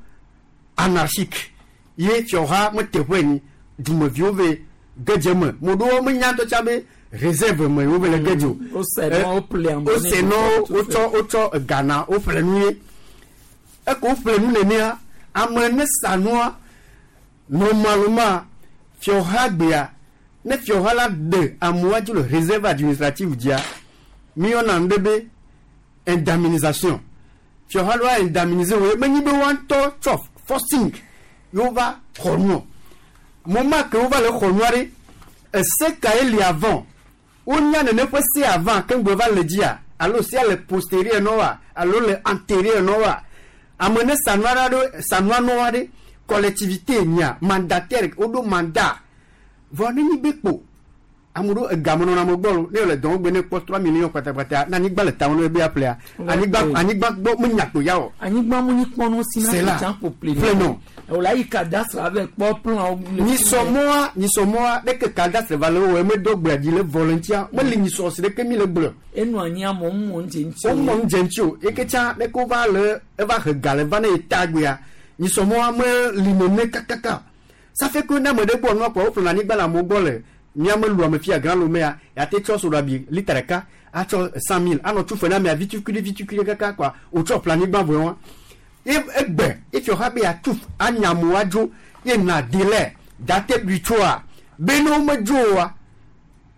anarchique ye fiɔha meteƒe nyi dumeviwo ve gedze me mo ɖewo menya ŋutɔ tsã be réserve me wo ve le gedze o. Wose nɔ, woƒle amewo wose ne nɔ dukɔ wotsɔ wotsɔ gana woƒle nu ye eke woƒle nu nenea ame ne sa nua normalement fiɔha gbea ne fiɔha la ɖe amewoa dzi le réserve administrative dzia mi yɔna nu ɖe be indemnisation fiɔha la indemniser wo menyi be woa ŋutɔ tsɔ forcing yewo va xɔ nuɔ moment ke wova le xɔ nua ɖe ese ka ye li avant wonya nene ƒe se avant ke ŋgbe va le dzia alo sia le postérieur nɔ wa alo le antérieur nɔ wa ame ne sanua ɖe sanua nɔ wa ɖe collectivité nya mandataire woɖo mandat vɔ ne nyi be kpo Ame ɖewo egame nɔna ame gbɔ lo ne le dɔwɔgbe ne kpɔ 3 millions kpatakpata ne anyigba le tame ne be aƒlea anyigba anyigba gbɔ menya kpo ya o. Anyigba mu nyi kpɔnɔ si na C'est là. tsã ƒo ple Ƒle nɔ. O la yi cadastre ave kpɔ plan wo. Nyisɔmɔa nyisɔmɔa ɖeke cadastre va le wo eme dɔ gbea dzi le vɔ le ŋutia meli nyisɔ si ɖeke mi le gblɔ. Enu anyi amewo mɔ ŋdze ŋuti. Womɔ ŋdze ŋuti o eke tsã ɖeke wova le eva he ga le va ne ye ta gbea nyisɔmɔa meli nene kakaka. Ça fait que ne ame ɖe gbɔ nua kpɔ woƒlena anyigba le amewo gbɔ le míame lu ame fia grand lomea yate tsɔ soɖabi lita ɖeka atsɔ 100 000 anɔ tu fe na amea vitukui ɖe vitukui ɖe kaka kɔa wotsɔ ƒle anyigba vɔ wa ye egbe efiɔ ha be yeatu anya amewo adzo ye na délai date ɖui tsoa be ne womedzo oa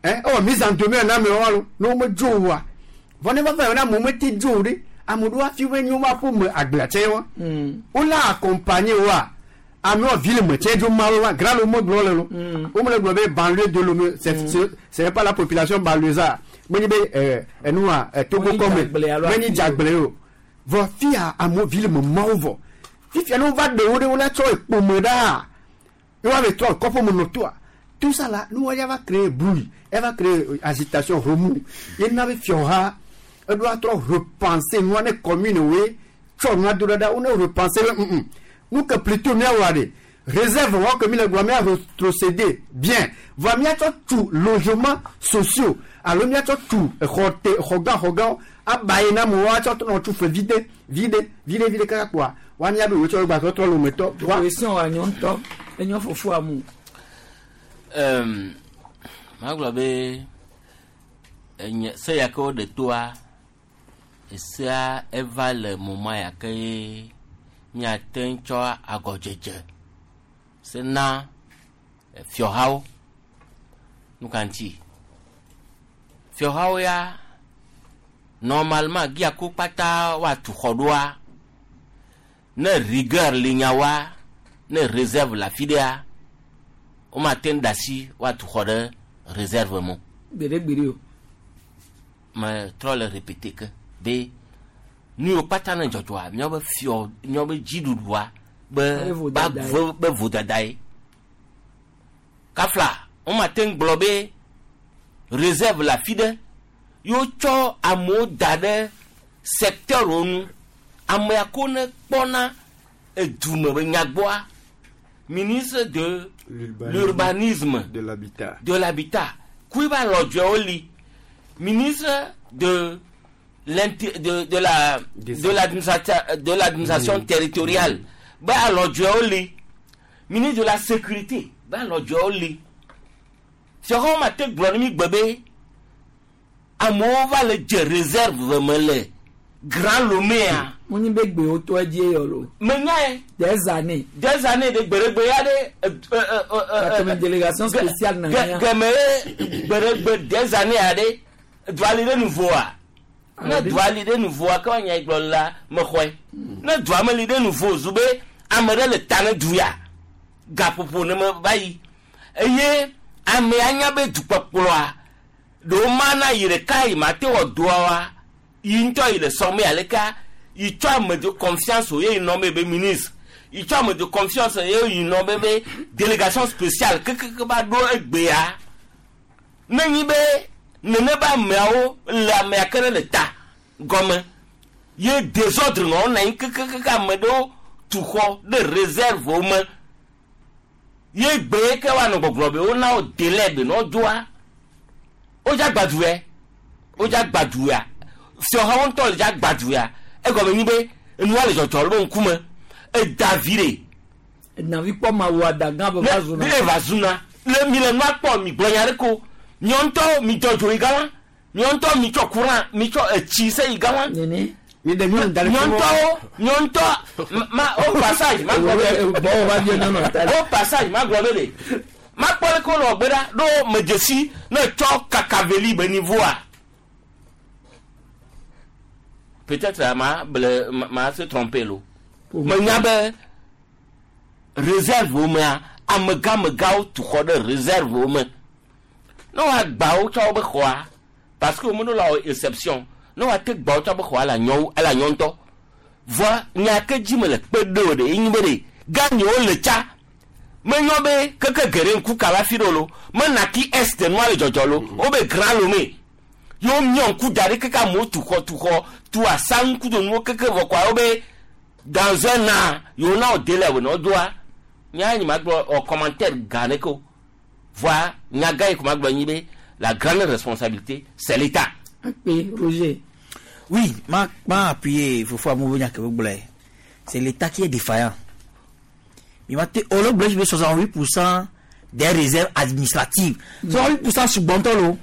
ɛ ewɔ mise en demeure na amewo alo ne womedzo oa vɔ ne va va yɔ ne amewo mete dzo o ɖe ame ɖewo hafi be nyo va ƒome agblea tsɛ wa wola accompagner woa amewo ville me tsɛ dzo ma wo wa grand Lomé gblɔ le lo womele gblɔ be banlieue de Lomé c'est pas la population banlieusard menye be enua Togo Menyi kɔme dzagble alo menyi afi dzagble o vɔ fia amewo ville me mawo vɔ fifia ne wova ɖe wo ɖe wola tsɔ ekpome ɖaa ye woave trɔ kɔƒe me nɔ toa tout ça là nous ya va créer bruit elle va créer agitation remous ye na be fiɔha eɖo atrɔ repenser nua ne commune woe tsɔ nua do ɖe ɖa wo ne repenser be nous que plutôt míawɔ ɖe réserve wɔ ke mi le gblɔ mía rétrocéder bien vɔ míatsɔ tu logement sociaux alo míatsɔ tu exɔ te xɔgã xɔgãwo aba yi na amewo atsɔ nɔ tu fe vide vide vide vide kaka kpoa woanya be wotsɔ gba trɔ lometɔ wa Question wa nyɔ ŋutɔ enyɔ fofo amu. Magblɔ be enye se ya ke woɖe toa esea eva le moma ya ke ye míate ŋu tsɔ agɔdzedze se na fiɔhawo. Nu ka ŋuti? Fiɔhawo ya normalement gia ko kpata woatu xɔ ɖoa ne rigueur li nyawoa ne réserve le afi ɖea womate ŋu ɖe asi woatu xɔ ɖe réserve me o. Gbeɖegbeɖe o. Me trɔ le répéter ke be nu yiwo kpata ne dzɔdzɔa míawobe fiɔ míawobe dziɖuɖua be Be vodada ye. be vodada ye. Kafla womate ŋu gblɔ be réserve le afi ɖe ye wotsɔ amewo da ɖe secteur wo nu amea ko ne kpɔna edume be nyagbɔa ministre de l'urbanisme de l'habitat de l'habitat kui ba lɔdzɔewo li ministre de de la de l'administration de l'administration territoriale be alɔdzɔewo li ministre de la sécurité be alɔdzɔewo li fiɔxɔwo ma te gblɔ ne mi gbe be amewo va le dze réserve me le Grand Loméa Mo nyi be gbewo tɔ edzi yɔ lo. Menyae. Des années. Des années de gbeɖegbe ya ɖe Katome délégation spéciale na nya. Geme ye gbeɖegbe des années ya ɖe dua li ɖe nuvoa ne dua li ɖe nuvoa ke woanya gblɔ la mexɔe ne dua me li ɖe nuvo zu be ame ɖe le ta ne du ya gaƒoƒo ne me va yi eye amea nya be dukpɔkplɔa ɖewo ma na yi ɖeka yi ma te wɔ doa wa yi ŋutɔ yi le sɔme aleka yi tsɔ ame de confiance o ye yi nɔ me be ministre yi tsɔ ame de confiance ye yi nɔ me be délégation spéciale kekeke va ɖo egbea ne nyi be nene be ameawo le amea ke ne le ta gɔme ye désordre nɔ na anyi kekekeke ame ɖewo tu xɔ ɖe réserve wo me ye gbe ke woanɔ gbɔgblɔ be wona wo délai be ne wodzoa wodza gbadu yɛ wodza gbadu ya fiɔhawo ŋutɔ le dza gbadu ya egɔme nyi be enua le dzɔdzɔ le be ŋkume eda vi ɖe. Navi kpɔ ma wo adagã be va zuna. Ne va zuna le mi le nua kpɔ mi gblɔ nya ɖe ko miɔ ŋutɔ mi dzɔ dzo yi gama miɔ ŋutɔ mi tsɔ courant mi tsɔ etsi se yi gama. Mi ɖe nyɔnu da ɖe miɔ ŋutɔwo miɔ ŋutɔ ma au passage ma gblɔ be Gbɔwɔ va biɔ nyɔnu ta. au passage ma gblɔ be ɖe ma kpɔ ɖe ko nɔ gbe ɖa ɖo me dzesi ne tsɔ kakaveli be niveaua peut-être ma ble ma se tromper lo menya be réserve wo mea amegãmegawo tu xɔ ɖe réserve wo me ne woagba wo tsɔ wobe xɔa parce que womeɖo la wɔ exception ne woate gba wo tsɔ be xɔa le anyɔ ele anyɔ ŋutɔ vɔa nya ke dzi me le kpe ɖe o ɖe enyi be ɖe ganyewo le tsa Menyɔ be keke geɖe ŋku kaba fi ɖo lo mena ki est nua le dzɔdzɔ lo wobe grand lome yewo miɔ ŋku da ɖi keke amewo tu xɔ tu xɔ tu asa ŋku do nuwo keke vɔ kɔa wobe dans un an yewo na wo délai wo nɔ doa nya nyi ma gblɔ ɔ commentaire gã ɖe ko voa nya gã yi ko ma gblɔ nyi be la grande responsabilité c'est l'État. Akpe Roger. Oui, ma ma appuyé Fofo Amovo Nyakebogblɛ. C'est l'État qui est défaillant. Il m'a dit, 68% des réserves administratives. 68% sur Bontolo.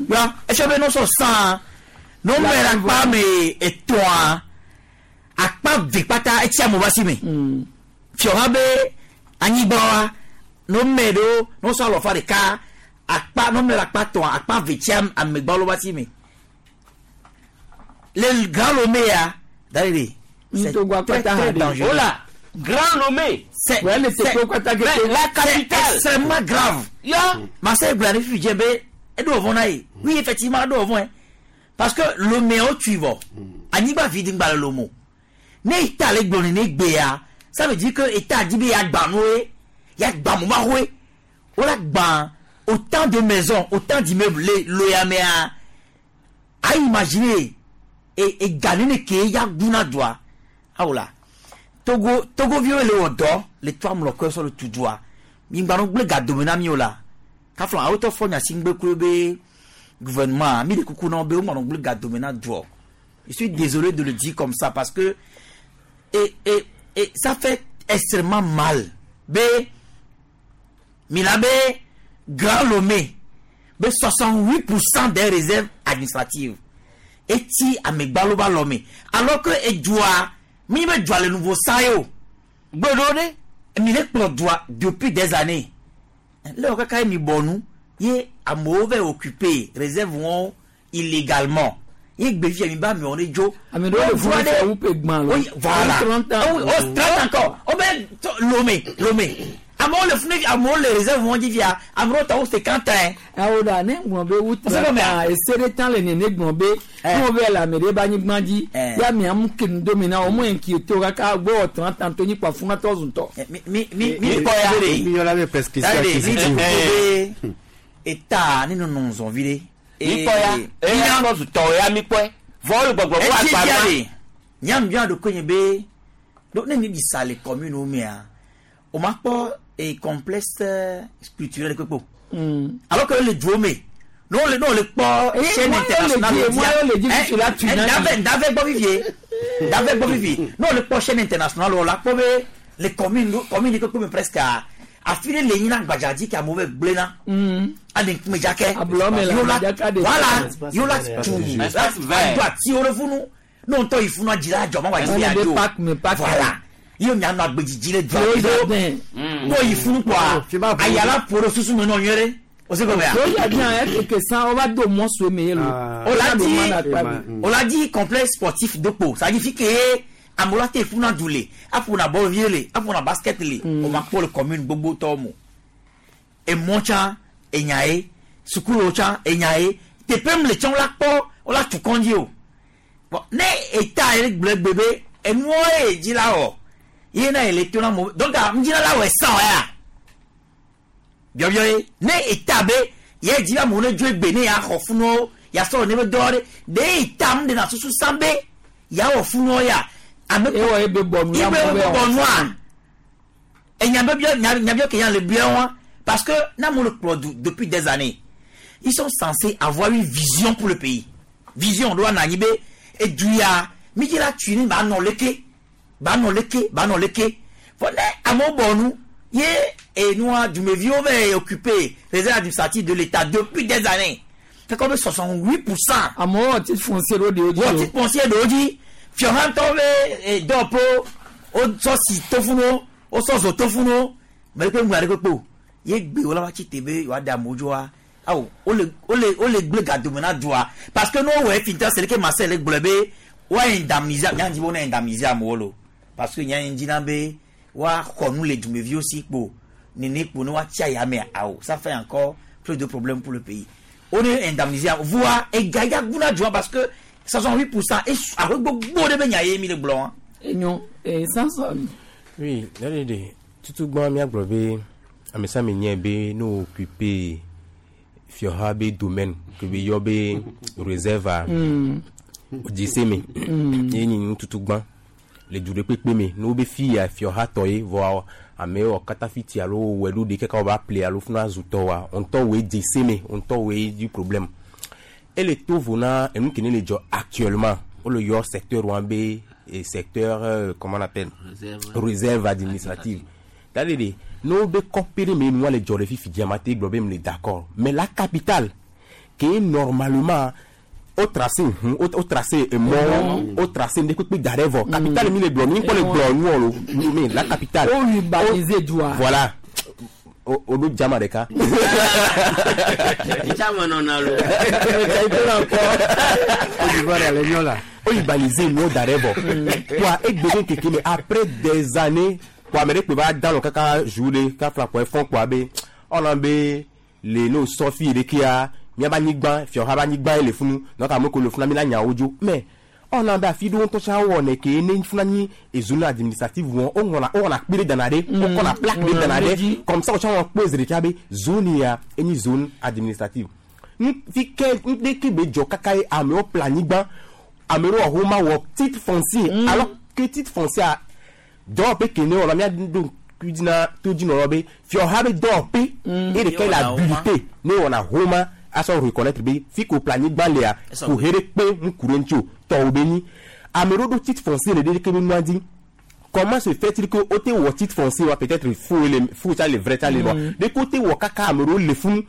Ya, est-ce que nous sommes 100 Non, mais la pas, mais et toi, akpa vikpata etia mo basi me. Fiora be anyigba no me do no so alo fa de ka akpa no me la akpa to akpa vetia amegba lo basi me. Le grand Lomé, d'ailleurs, c'est très, très dangereux. Oh là, Grand Lomé, c'est Ouais, mais c'est quoi, t'as gueulé. La capitale. C'est extrêmement grave. Ya. Marcel Blani Fidjembe, et d'où vont aller? Oui, effectivement, d'où vont. Parce que Lomé au tuivo, Aniba Vidingba le Lomo. Ne État le Glone ne Gbea, ça veut dire que État dit ya Gbanoué, ya Gbamoumaroué. On a Gban, autant de maisons, autant d'immeubles, les Loyamea, à imaginer. Et gagner ne ke ya guna doa awola togo togo viwo le wɔ dɔ le to amlɔkɔ sɔ le tu doa migbanu gble gadome na mi o la kafla awotɔ fɔ nyasi ŋgbe kuro be gouvernement mi le kuku na wo be wogbanu gble gadome na doɔ je suis désolé de le dire comme ça parce que et ça fait extrêmement mal be mi la be Grand Lomé be 68% des réserves administratives eti amegbalo ba lɔme alors que edua mi be dua le nuvo sa ye o gbeɖo ɖe mi le kplɔ dua depuis des années le wɔ kaka ye mi bɔ nu ye amewo va occuper réserve wɔn illégalement ye gbe fia mi ba amewo ne dzo. Ame ɖewo le funu fɛ wu pe gbã lo. Oui, voilà. 30 ans. Oh, oh, 30 encore. Oh, ben, Lomé, Lomé. Amewo le funu amewo le réserve wɔn dzi fia amewo tɔ wo 50 ans. Awo ɖa ne ŋlɔ be wu Ose gɔmea? 30 ans ese ɖe tan le nene gblɔ be ne wo be le ame ɖe be anyigba dzi ya mia mu ke nu do mi na wo mu ŋki to kaka gbɔ wɔ 30 ans to nyi kpa funa tɔ zu tɔ. Mi mi mi kpɔ ya. Mi yɔna be prescription Daddy, mi acquisitive. be eta ne nɔnɔ zɔn vi ɖe. Mi kpɔ ya eya kɔ zu tɔ ya mi kpɔe vɔ le gbɔgbɔ wo Etsi agba fia ma. de nyam bia ɖo konye be ɖo ne mi ɖi sa le commune wo mea o ma kpɔ e complexe culturel kpekpe o. Alors que le duo me ne wo le ne wo le kpɔ Eh, chaîne moi, internationale yo le di, moi, yo le di, Eh, je suis là, tu eh, n'as ndave ndave gbɔ vivie ndave gbɔ vivie ne wo le kpɔ chaîne internationale o la kpɔ be le commune commune kpekpe me presque a afi ɖe le nyina gbadza dzi ke amewo be gblẽna ade ŋkume dzakɛ Ablɔ me le Yewo la- dzaka ɖe. voilà yewo la tu Espace vert. ado atiwo ɖe funu ne ŋutɔ yi funu adzi la adzɔ ma wa dzi Ɔne ya be dzo park me park. voilà ye mianɔ agbedzidzi le dua Yo me jardin. ne yi funu kpɔa ayala ƒo ɖe susu me nɔ nyuie ɖe o se gɔmea. Yo jardin yɛ keke san wo va do mɔ sue me ye lo. On l'a dit, on l'a dit complexe sportif de peau. Ça signifie que amewo la te funa du le, aƒona bɔl vie le, aƒona basket le. O ma kpɔ le commune gbogbo tɔwo mo. Emɔ tsã enya ye, sukuluwo tsã enya ye, teƒe mu le tsã wo la kpɔ, wo la tu kɔndzi o. Bon, ne eta ye gblɔ egbe be enuwo ye dzi la wɔ, ye na ye le to na mo. Donc ŋdzina la wɔ esã ya. Biɔbiɔ ye, ne eta be ye dzi be amewo ne dzo egbe ne ya xɔ funuwo, ya sɔ ne be dɔ ɖe, ɖe eta mu ɖe na susu sã be ya wɔ funuwo ya. Ame Ewɔ ye be bɔ nu ye ya be mɔ be bɔ wɔ nua. funu. Enya be biɔ nya nya biɔ ke nya le biɔ wa parce que na mo le kplɔ du depuis des années ils sont censés avoir une vision pour le pays vision ɖo anɔ anyi be edu ya mi dzi la tui ne ba nɔ leke ba nɔ leke ba nɔ leke fɔ ne amewo bɔ nu ye enua dumeviwo va occupé réserve administrative de l'État depuis des années c'est comme 68%. Amewo wɔ titre foncier ɖo ɖewo dzi wọ́n o. ti foncier ɖewo dzi fiɔhãtɔwo be dɔwɔƒewo wotsɔ si to funu wotsɔ zo to funu mɛ kpe ŋgba ɖe kpekpe o ye gbe wo la va tsi te be yewoaɖe amewo dzoa awo wole wole wole gble gadome na dua parce que ne wowɔ efi ŋutɔ seleke Marcel le gblɔ be woa indemniser nya dzi be wona indemniser amewo lo parce que nya dzi na be woaxɔ nu le dumeviwo si kpo nene kpo ne woatsi ayame awo ça fait encore plus de problèmes pour le pays on est indemnisé voa ega ya guna dua parce que 68% et aƒe gbogbo ɖe be nya ye mi le gblɔ wa. Enyo ee Samson. Oui, daddy, tutu gbɔn míagblɔ be Ame sia ame nyae be ne wo occuper fiɔha be domaine ke be yɔ be réserve wodzi se me. Ye nyi nututu gbã le du ɖe kpekpe me ne wobe fi ya fiɔha tɔ ye vɔa amewo wɔ katã fiti alo wowɔe ɖo ɖe kaka wova ple alo funa zu tɔwoa ŋutɔ woe dze se me ŋutɔ woe dzi problème. Ele to vo na enu ke ne le dzɔ actuellement wole yɔ secteur wa be secteur comment on appelle? Réserve. Réserve administrative. C'est-à-dire de ne wobe kɔƒe ɖe me nua le dzɔ le fifi dzia mate gblɔ be mle d'accord mais la capitale ke normalement wo tracé hu wo tracé emɔwo wo tracé ŋɖe kpekpe da ɖe vɔ capitale mi le gblɔ mi ŋkɔ le gblɔ nuwɔ lo mais la capitale. Wo urbaniser dua. Voilà o ɖo dzama ɖeka. Dzama nɔna lo. O urbaniser nuwo da ɖe vɔ kpoa egbe be ŋkeke me après des années kpoa ame ɖe kpe va da nɔ kaka jour ɖe kafla kpoa efɔ kpoa be ɔna be le ne wosɔ fi ɖekea miaba anyigba fiɔha be anyigba ye le funu donc ame ko le funa mi la nya wo dzo mais ɔna be afi ɖewo ŋutɔ tsã wowɔnɛ ke ne funa nyi zone administrative wɔn woŋlɔna wowɔna kpe ɖe dana ɖe wokɔna plaque ɖe dana ɖe comme ça wotsã wɔn kpɔe zi ɖeka be zone ya enyi zone administrative nu fi ke ŋɖeke be dzɔ kaka ye amewo ƒle anyigba ame ɖewo wɔ homa wɔ titre foncier alors que titre foncier dɔwɔƒe ke ne wɔna mía ɖo ŋku dzi na todzinɔlawo be fiɔha be dɔwɔƒe ye ɖeka le habilité ne wɔna homa asɔ reconnaître be fi ko ƒle anyigba lea ko he ɖe kpe ŋku ɖe ŋuti o tɔwò be nyi ame ɖewo ɖo titre foncier le ɖe ke be nua dzi comment se fait-il que wote wɔ titre foncier wa peut-être faux le faux tsa le vrai tsa le wa ɖe ko wote wɔ kaka ame ɖewo le funu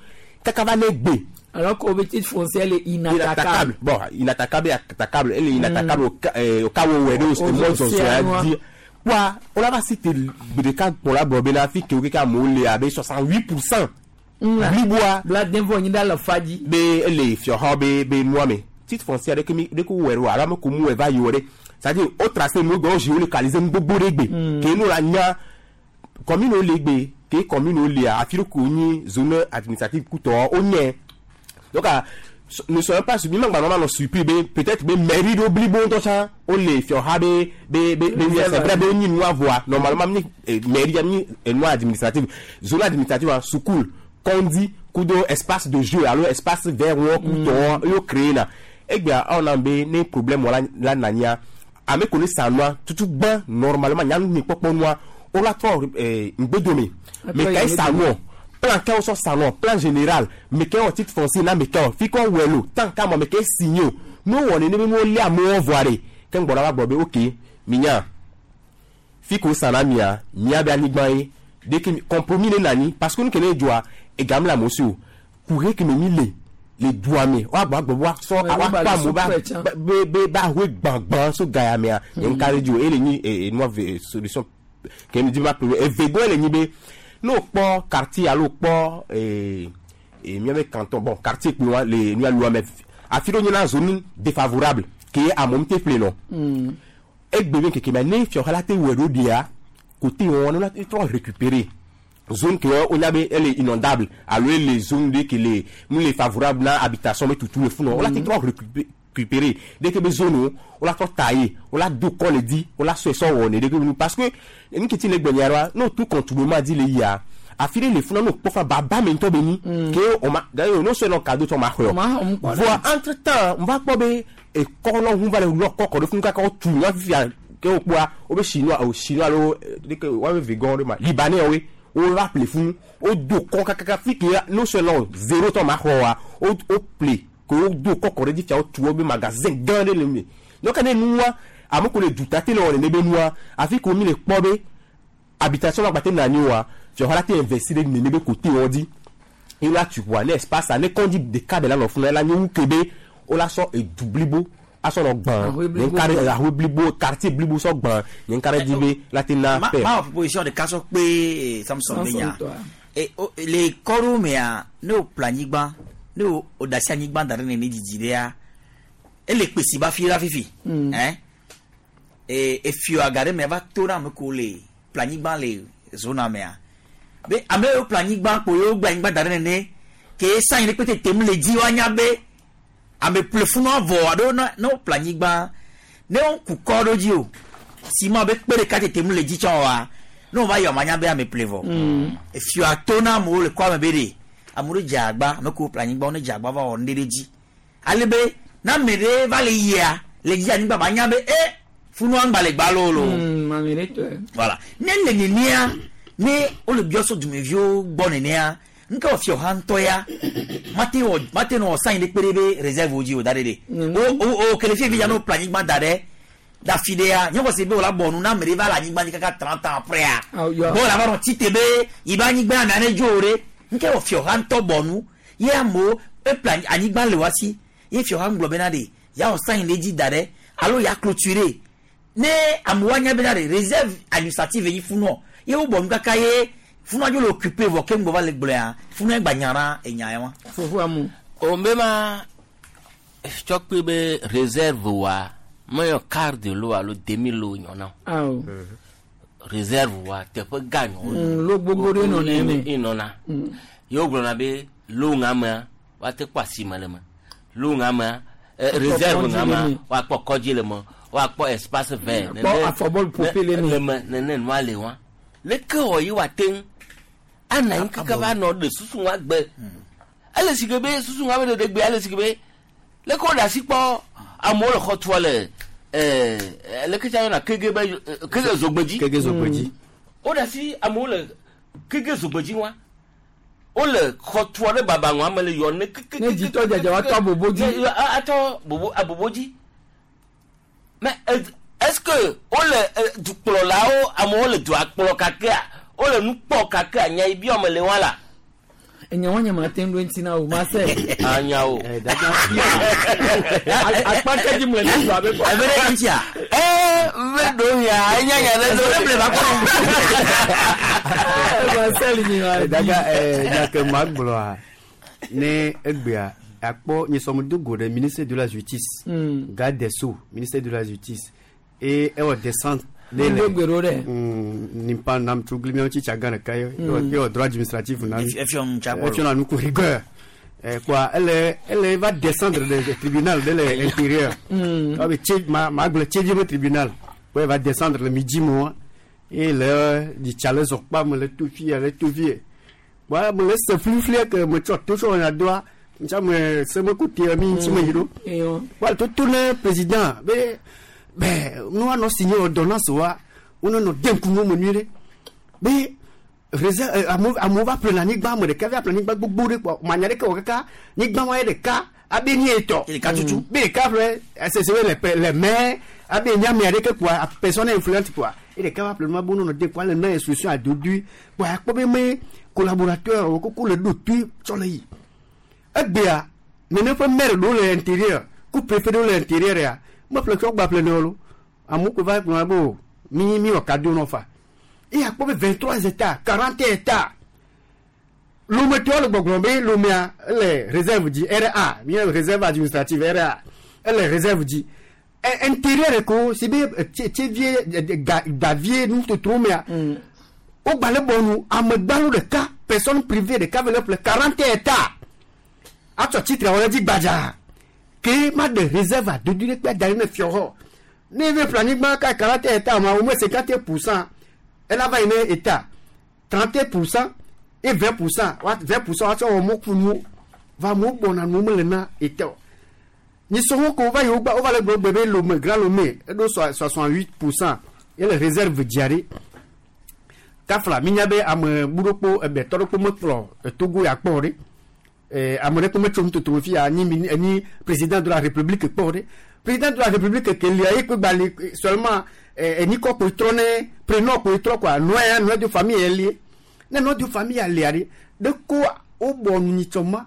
kaka va ne gbe. Alors que titre foncier est inattaquable. Bon, inattaquable et attaquable. Elle est inattaquable au cas où elle est au mɔ zɔzɔ ya di. Wa wola va citer gbe ɖeka kplɔ la gblɔ bena fi ke wo keke amewo le abe 68% bliboa. Bladen vɔ nyi ɖe le fa dzi. Be ele fiɔha be nua me titre foncier ɖeke mi ɖeke wowɔe ɖo alo ame ko mu wɔe va yi wɔ ɖe c'est-à-dire wo tracé nu gbɔ wo géolocaliser nu gbogbo ɖe gbe ke nu la nya commune wo le gbe ke commune wo lea afi ɖe ko nyi zone administrative kutɔ wo nye donc ne soyons pas surpris magba nɔ surpris be peut-être be mairie ɖewo blibo ŋutɔ tsã wole fiɔha be c'est vrai be wonyi nua vɔa normalement mi mairie ya mi nua administrative zone administrative wa sukul kɔndi kudo espace de jeu alo espace vert wɔ kutɔ yo créé na egbea awo na be ne problème wɔ la nania ame ko ne sa nua tutu gbã normalement nyanu mi kpɔkpɔ nua wo la trɔ ŋgbedome me ka ye sa nuɔ plan kɛ wosɔ sa nuɔ plan général me kɛ wɔ titre foncier na me kɛ wɔ fi kɔ wɛ lo tant k'a mɔ me kɛ signé o n'o wɔ nene be n'o lé amewo vɔa de ke ŋgbɔ la va gbɔ be ok minya fi ko sa na mia mia be anyigba ye de ke compromis ne nani parce que nu ke ne dzɔa egam le amewo si o kuhe ke me mi le dua me woagbɔ agbɔ wa sɔ awakpɔ amewo ba be ba hoe gbãgbã so gaya mea nye ŋka ɖe dzi o ele nyi enua ve solution ke mi di ba pere evegɔe le nyi be ne wokpɔ quartier alo wokpɔ miabe canton bon quartier kple wa le nua lua me afi ɖewo nyina zone défavorable ke amewo te ƒle nɔ egbe be ŋkeke mea ne fiɔha la te wɔe ɖo ɖia côté wɔn ne la te trɔ récupérer zone ke wonya be ele inondable alo ele zone ɖe ke le mu le favorable na habitation be tutu le funɔ wola te trɔ récupérer dès que be zone wo wola trɔ tailler wola do kɔ le di wola sɔe sɔ wɔ ne ɖe ke nu parce que nu ke ti le gbenya ɖoa n'o tu contournement di le yia afi ɖe le funa n'o kpɔ fa baba me ŋutɔ be nyi ke o ma d'ailleurs n'o sɔe nɔ cadeau tsɔ ma xɔe o voa entre temps n va kpɔ be ekɔ lɔ ŋu va le lɔ kɔ kɔ ɖe funu kaka wotu nua fifia ke wo kpɔa wobe chinois o chinois alo ɖeke woabe vegan ɖe ma libanais woe wo va ƒle funu wo do kɔ kakaka fi ke n'o sɔe nɔ zéro tɔ ma xɔ wa wo ƒle ke wo do kɔ kɔ ɖe dzi fia wotu wo be magasin gã ɖe le me donc ne nua ame ko le duta te le wɔ nene be nua afi ko mi le kpɔ be habitation ma gba te na anyi oa fiɔha la te investir ɖe nene be côté wɔn dzi ye la tu ʋua ne espace a ne kɔndzi ɖeka be la nɔ funu la nye wu ke be wo la sɔ edu blibo asɔ nɔ gbã nye ŋka ɖe ahoe blibo quartier blibo sɔ gbã nye ŋka ɖe dzi be la te na Ma paix. ma wɔ proposition ɖeka sɔ kpe Samson be nya. Le kɔɖo mea ne wo ƒle anyigba ne wo da asi anyigba da ɖe nene didi ɖea ele kpesi ba fi la fifi. Hein? Efio aga ɖe mea va to na ame ko le ƒle anyigba le zona mea. Be ame yiwo ƒle anyigba kpo yewo gbe anyigba da ɖe nene ke sanyi ɖe kpete tem le dzi woanya be ame ƒle funua vɔ alo ne wo ƒle anyigba ne wo ku kɔ ɖo dzi o ciment be kpe ɖeka tetem le dzi tsã oa Ne wova yɔ manya be ame ple vɔ. Efia to na amewo le kɔa me be ɖe amewo ɖe dze agba ame kewo ple anyigba wo ne dze agba va wɔ nu ɖe ɖe dzi. Ale be ne ame ɖe va le yia le dzi anyigba ba nya be e funua ŋgba le gba loo loo. Ame ɖe tɔe. Voilà. Ne le nenea ne wole biɔ so dumeviwo gbɔ nenea nke wɔ fiɔ ha ŋutɔ ya mate wɔ mate nɔ sign ɖe kpe ɖe be réserve wo dzi o da ɖe ɖe. O o o kele fie fi ya no ple anyigba da ɖe da fi ɖe ya nye xɔ se be wòla bɔ nu na ame ɖe va le anyigba dzi kaka 30 ans après ya. Yɔ. Bɔ la va nɔ tite be yi be anyigba amea ne dzo o ɖe. Nke wɔ fiɔ ha ŋutɔ bɔ nu ye amewo eple anyigba le wa si ye fiɔ ha ŋgblɔ bena ɖe ya wɔ sign ɖe dzi da ɖe alo ya clôturer ne amewo anya bena ɖe réserve administrative yi funɔ ye wo bɔ nu kaka ye funua dzo le occupé vɔ ke ŋgbɔ va le gblɔa funua gba nya na enya ya wa. Fofo amu. O be ma tsɔ kpe be réserve wa meyɔ quart de lo alo demi lo nyɔ na o. Awo. Réserve wa teƒe gã nyɔ. Lo gbogbo ɖe nɔna eme. Enɔna. Ye wogblɔna be lo ŋa mea woate kpɔ asime le me. Lo ŋa mea réserve kɔdzi ŋa le mea me. woakpɔ kɔdzi le me woakpɔ espace vert. Akpɔ afɔbɔlu ƒoƒe le me. Le me nene nua le wa. Leke wɔ yi woate ŋu ana anyi kaka va nɔ ɖe susu ŋua gbe. Ele si ke be susu ŋua be ɖeɖe gbe ele si ke be leke wo ɖe asi kpɔ amewo le xɔ tua le ɛɛ leke tsa yɔna kege be kege zogbedzi. Kege zogbedzi. Wo ɖe asi amewo le kege zogbedzi wa. Wole xɔ tua ɖe baba ŋua me le yɔ ne keke. Ne dzitɔ dzadza woatɔ abobo dzi. Ne atɔ bobo abobo dzi. Mais est-ce que wole dukplɔlawo amewo le dua kplɔ kakea wole nu kpɔ kakea nya yi biɔ me le wa la. Enya wɔn nyama te ŋu ŋuti na o ma se. Anya o. Akpa kɛdzi mu le ne dua be kɔ. Ebe ɖe ŋutia. Ee ve ɖo ya enya nya ɖe Ezo ɖe ble va kɔ. Marcel nyi wa. Daga nya ke ma gblɔa ne egbea akpɔ nyesɔm do go ɖe ministère de la justice. Garde des sceaux ministère de la justice et ewɔ descente. Ŋdo gbe ɖo ɖe. Nimpa nam tso gli miawo tsitsa gã ɖeka ye ewɔ droit administratif na mi. Efiɔ nu tsa Efiɔ na nu ku rigueur. Quoi, elle va descendre le tribunal de l'intérieur. Ah, mais tché- ma gblɔ tsévi be tribunal. Ouais, elle va descendre le midi moi. Et le di tsa le zɔkpa me le to fie le to fie. Wa me le se flifli ke me tsɔ to tsɔ na doa. Ntsa me se me ku tie mi ŋuti me yi ɖo. Eyo. Wa to to ne président be be nu anɔ signé ordonnance wa wone nɔ de ŋku me nyuie ɖe. Be réserve amewo va ƒle anyigba ame ɖeka va ƒle anyigba gbogbo ɖe kpɔ manya ɖeke wɔ kaka anyigba wa ye ɖeka abe ni etɔ Ɖeka tutu. be ɖeka ƒle sese le le maire abe nye ame aɖeke kpoa personne influente kpoa ye ɖeka va ƒle nua be wonɔ de kpoa le na instruction adodui kpoa akpɔ be me collaborateur wo koko le ɖo tui tsɔ le yi egbea nene ƒe maire ɖewo le intérieur ku préfet ɖewo le intérieur ya meƒle tsɔ gba ƒle ne wo lo amewo ko va gblɔ be o mi mi wɔ cadeau nɔ fa eye akpɔ be 23 hectares 40 hectares lometɔwo le gbɔgblɔ be lomea ele réserve dzi ra mi réserve administrative ra ele réserve dzi intérieur ko si be tsevie davie nutotro mea wogba le bɔnu amegbalo ɖeka personne privée ɖeka ve le ƒle 40 hectares atsɔ tsitre wɔ ɖe dzi gbadza ke ma ɖe réserve adodo ɖe kpe da ɖe ne fiɔ xɔ ne eve ƒle anyigba ka 40 hectares ma au moins 50 % ela va yi ne état 31 % et 20 %, 20 % woatsɔ wɔ mɔkunuwo va amewo gbɔna nuwo mele na état o nyisɔwo ko va yi wo gba wova le gblɔ gbe be Lome Grand Lome eɖo 68 % ye le réserve dzia ɖe kafla minya be ame buɖokpo ebetɔ ɖokpo mekplɔ Togo ya kpɔ o ɖe ame ɖe kpo metso nutoto fi ya nyi nyi président de la république kpɔ o ɖe président de la république ke lia ye kpe gba li seulement enyikɔ kpo trɔ ne prénom kpo trɔ quoi nɔa ya nɔa de famille ye lie ne nɔa de famille ya lia ɖe ɖe ko wobɔ nu nyitsɔ ma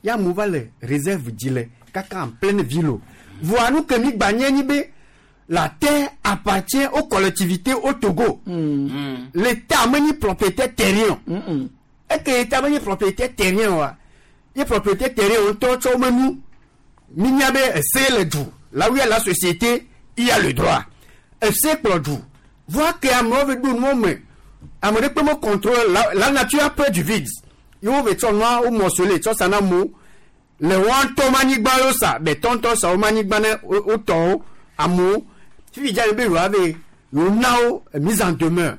ya amewo va le réserve dzi le kaka en pleine ville o voa nu ke mi gba nye nyi be la terre appartient aux collectivités au Togo. L'État menyi propriétaire terrien. Eke État menyi propriétaire terrien wa. Ye propriétaire terrien ŋutɔ tsɔ wo menu. Mi nya be ese le du. Là où il y a la société, il y a le droit. Ese kplɔ du. Voa ke amewo ve ɖo nuwo me. Ame ɖe kpe me contrôle la nature a peur du vide. Ye wo ve tsɔ nua wo morcelé tsɔ sa na amewo. Le wɔn ŋutɔ ma anyigba yo sa, bɛtɔ ŋutɔ sa wo ma anyigba ne wo tɔwo amewo. Fifi dza be yewoa be yewo na wo mise en demeure.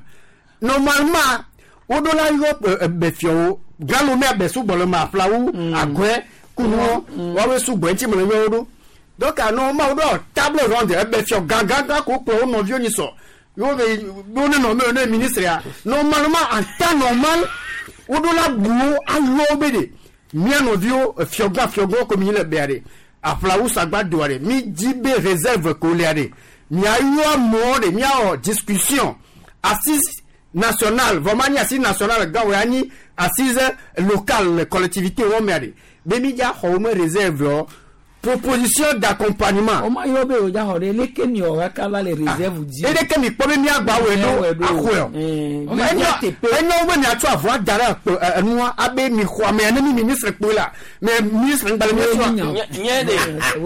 Normalement woɖo la yɔ ɛbɛfiɔwo Grand Lomé abɛ sugbɔ le ma aƒlawu agɔɛ kunuwo woawoe sugbɔ ŋuti me le yɔ wo ɖo. Donc normalement woɖo table ronde ɛbɛfiɔ gãgãgã ko kplɔ wo nɔviwo nyi sɔ yewo be wo ne nɔ me wo ne ministre ya. Normalement en temps normal woɖo la bu wo ayɔ wo be de mía nɔviwo fiɔgã fiɔgãwo ko mi le bea de aƒlawu sagba doa de mi dzi be réserve ko lia de miayɔ amewo de miawɔ discussion assise nationale vɔ ma nye assise nationale gã wo ya nyi assise locale le collectivité wɔn mea de be mi dza xɔ wo me réserve wɔ proposition d'accompagnement. O ma yɔ be o dza xɔ ɖe leke mi wɔ kaka va le réserve dzi. Eleke mi kpɔ be miagba wɔe ɖo axɔe o. Enyo wo be miatsɔ avɔ da ɖe enua abe mi xɔ amea ne mi ministre kpoe la mais ministre ŋgba le mia srɔ̃. Nye de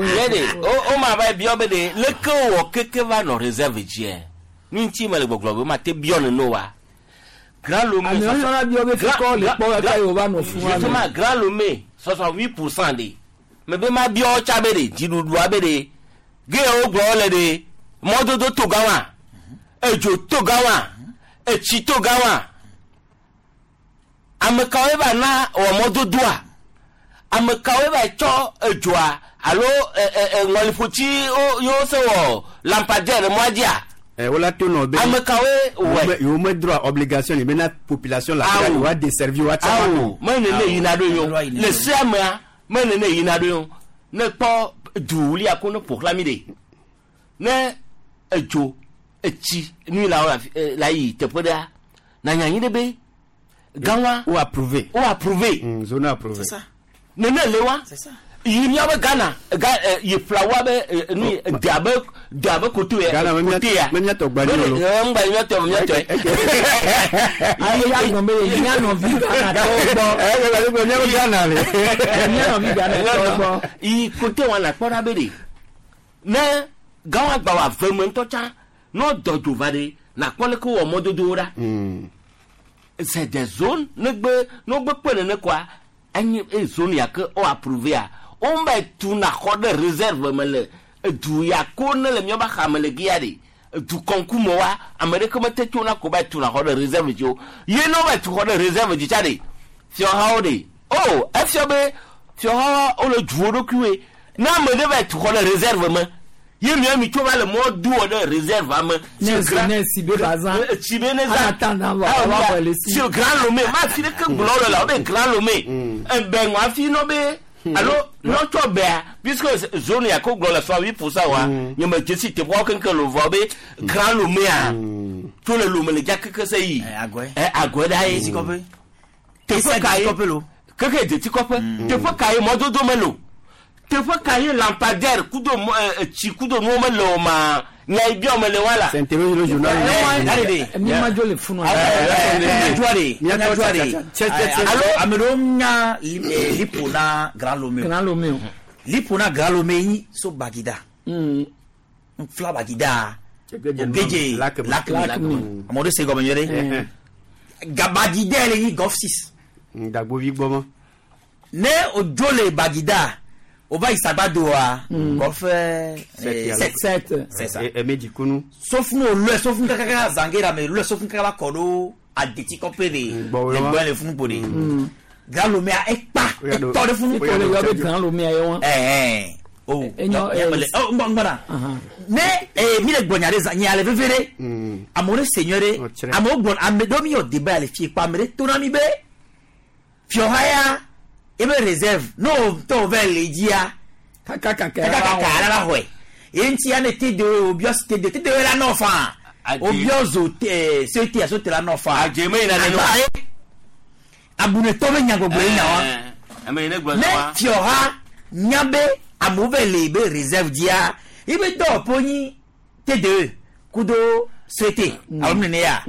nye de o ma va biɔ be de leke wɔ keke va nɔ réserve dziɛ nu ŋuti me le gbɔgblɔ be ma te biɔ nene wa. Grand Lomé. Ame yɔna biɔ be fikɔ le kpɔ kaka yi o va nɔ fún wa. Justement Grand Lomé 68% de me be ma biɔ tsa be de dziɖuɖua be de ge wo gblɔ le de mɔdodo to gã wa edzo to gã wa etsi to gã wa ame kawoe va na wɔ mɔdodoa ame kawoe va tsɔ edzoa alo ŋɔliƒotsi yewo se wɔ lampadaire le mɔa dzia. Wola to nɔ be ame kawoe wɔe. Yewo me droit obligation ni bena population la yewoa desservir woa tsa. Awo me nene yina ɖo yio le sea mea me nene yina ɖo yio ne kpɔ duwulia ko ne ƒo xlã mi ɖe ne edzo etsi nui la la yi teƒe ɖea na nya anyi ɖe be gãwa. O approuvé. O approuvé. Zone approuvé. Nene le wa. Yi miabe Ghana ga yi flawa be nu de abe koto ya. Ghana kote ya. Me miatɔ gba ni o. Ŋgba miatɔ miatɔ. Ayi ya gbɔn be mia nɔvi Ghana tɔwo gbɔ. Ɛ miabe Ghana le. Mia nɔvi Ghana tɔwo gbɔ. Yi kote wa na kpɔ ɖa be de ne gãwa gba wa ve me ŋutɔ tsã ne dɔ dzo va de na kpɔ leke wɔ mɔdodowo ɖa. C'est des zones ne gbe ne gbe kpe nene koa enye e zone ya ke o approuvé a wo me tu na xɔ ɖe réserve me le edu ya ko ne le miabe xame le gia de edu kɔnkume wa ame ɖeke mete tso na ko va tu na xɔ ɖe réserve dzi o ye ne wo va tu xɔ ɖe réserve dzi tsa de fiɔhawo de o efia be fiɔhawo wole du wo ɖokuiwoe ne ame ɖe va tu xɔ ɖe réserve me ye mia mi tso va le mɔ do wɔ ɖe réserve ame. Ne si be ba zã. Si be ne zã. Sur Grand Lomé ma fi ɖeke gblɔ le la o be Grand Lomé ebe ŋua fi nɔ be alo nɔtsɔ bea puisque zone ya ko gblɔ le 68% wa nye me dzesi teƒeawo keŋkeŋ le vɔ be Grand Loméa tso le Lomé le dza keke se yi agɔe ɖa ye teƒe ka ye keke detikɔƒe teƒe ka ye mɔdodo mele o teƒe ka ye lampadaire kudo tsi kudo nuwo mele o ma nya yi biɔ mele wa la. C'est interroger le journal. Mi ma dzo le funu. Alo ame ɖewo nya lipo na Grand Lomé. Grand Lomé o. Lipo na Grand Lomé yi so Bagida. Fila Bagida. Ogeje Lakme. Ame ɖewo se gɔme nyuie ɖe. Bagida le nyi Golf 6. Dagbovi gbɔ ma. Ne o dzo le Bagida. O va yi Sagbadoa Golf 7. C'est ça. Emedikunu. Sofunu o lɔɛ sofunu kakaka zangera me lɔɛ sofunu kakaka va kɔ ɖo adetikɔƒe de le gbɔ le funu ƒo de. Grand Lomé a ekpa etɔ ɖe funu. Ekɔ le yɔ be Grand Lomé ye wa. Ɛɛ o o ngbɔna ne mi le gbɔ nya ɖe zã nya le veve ɖe amewo ɖe se nyuie ɖe amewo gbɔ ame ɖewo mi yɔ débat le fie kpa ame ɖe to na mi be fiɔha ya ebe réserve n'o tɔ vɛ le dzia kakakaka kakakaka la va xɔe ye ŋuti ya ne TDE o biɔ TDE TDE la nɔ fan o biɔ zo CET aso te la nɔ fan. Adze me yina nene wa. Abunetɔ be nyagbɔgblɔ ye nya wa. Ne fiɔha nya be amewo vɛ le be réserve dzia ebe dɔwɔƒe nyi TDE kudo CET alo nene ya.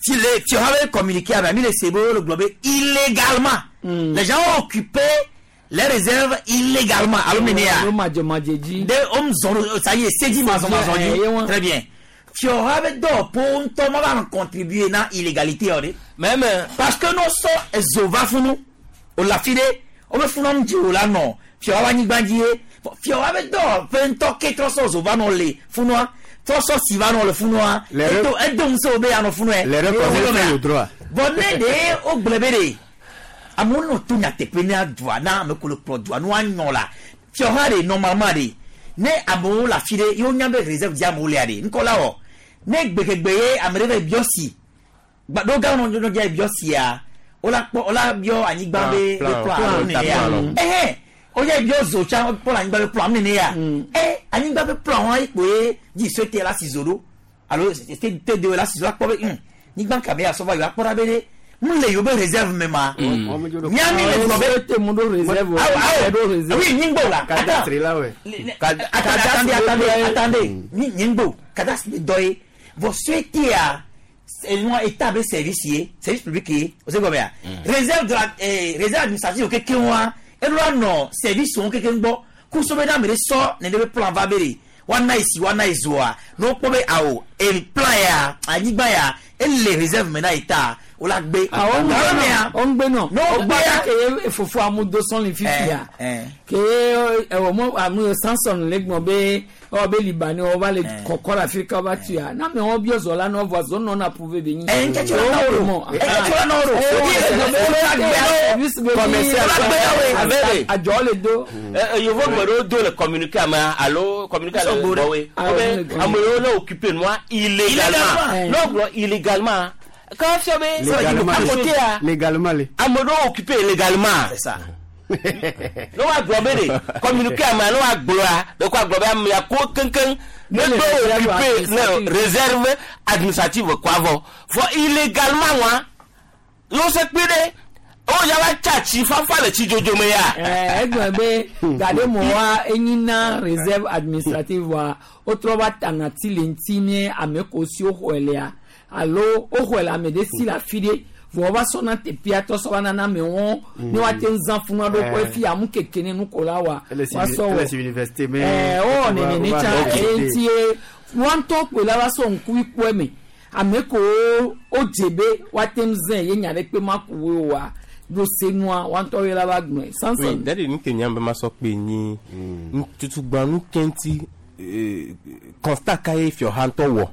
Si le fiɔha be communiqué ame mi le se be wo le gblɔ be illégalement. Les gens ont occupé les réserves illégalement. Alors, de hommes ça y est, c'est dit, très bien. Fiora do pour ntɔ ma va contribuer na illégalité ɔde. Même parce que nous sommes zova funu o la fi de o bɛ funu nu dzi o la nɔ fiora wa nyigba dzi ye fiora bɛ dɔ ƒe ŋutɔ ke trɔ sɔ zova nɔ le funua Trɔ sɔ si va nɔ le funua. Les Edo edo ŋusẽ wo be yanɔ funua. Les reconnaissent le droit. Bon ne de wo gblɔ be de amewo nɔ to nyateƒe ne dua na ame ko le kplɔ dua nua nyɔ la fiɔha de normalement de ne amewo le afi ɖe yewo nya be réserve dzi amewo lea de ŋkɔ la wɔ ne gbekegbe ye ame ɖe va yi biɔ si gba ɖo gã nɔ nɔ dza yi biɔ sia wola kpɔ wola biɔ anyigba be Plan, be plan plan, alo nene ya plan. ɛhɛn wodza yi biɔ zo tsã kpɔ le anyigba be plan nene ya ɛ anyigba be plan wa kpo ye dzi sue te la si zo ɖo alo te te de la si zo la kpɔ be nyigba kame ya sɔ va yi wa kpɔ ɖa be ɖe mu le yewo be réserve me ma miami le gblɔ be te mu ɖo réserve o. Awo, awo. Ɖo réserve. Oui, nyigbo la. Cadastre la ouais. Attendez, attendez, attendez. Nyigbo, cadastre dɔ ye. Vɔ suetia, nua état be service ye, service public ye, o se gɔmɛ ya. Réserve de la réserve administrative keke wa, eɖo anɔ service wo keke gbɔ. Kuso be na ame ɖe sɔ nene be plan va be de, woana yi si woana yi zoa, ne wokpɔ be awo, e plan ya, anyigba ya, ele réserve me na état, wola gbe. Awɔ Gawɔ mea, ŋgbe nɔ. Ne wo gbea- ke fofo amu do sɔn le fifia. Eh, Ke ɛwɔ mɔ amu Samson le gbɔn be ɔ be Libani wɔ va le kɔkɔ le Afrika va tuya. Na me wɔ biɔ zɔ la nɔ vɔ zɔ nɔ na prouver be nyi. Eh, nkɛtɛ la nɔ o. Nkɛtɛ la nɔ o. Adzɔ le do. Yovo gbe ɖewo do le communiqué ame alo communiqué le gbɔwoe wobe ame yiwo ne occupé nua illégalement Illégalement. ne wogblɔ illégalement ke fia be Légalement. à côté a Légalement le. ame ɖewo occupé légalement. C'est ça. Ne woagblɔ be de communiqué ame ne woagblɔa ɖeko agblɔ be amea ko keŋkeŋ ne Ne do réserve occupé ne administrative. réserve administrative kɔ avɔ vɔ illégalement wa yewo se kpe ɖe wo ya va tsa tsi fafa le tsi dzodzo me ya. Ɛɛ egblɔ be gaɖe mɔ wa enyi na réserve administrative wa wotrɔ va tana ti le ŋuti ne ame ko si woxɔe lea alo woxɔe le ame ɖe si le afi ɖe vɔ wova sɔna teƒea tɔ sɔ va nana amewo ne woate ŋu zã funua ɖo kɔ efi amu keke ne nuko la wa Elle est woasɔ elle wɔ est sur université mais. ɛɛ wowɔ nene tsã eye ŋuti ye woa ŋutɔ kpoe la va sɔ ŋkuvi kpɔ eme ame kowo wodze be woate ŋu zẽ ye nya ɖe kpe ma ku wo oa ɖo senua woa ŋutɔ ye la va gblɔe Oui, Samson. dadi nu ke nyam be ma sɔ kpe nyi tutugba nu ke ŋuti constat ka ye fiɔha ŋutɔ wɔ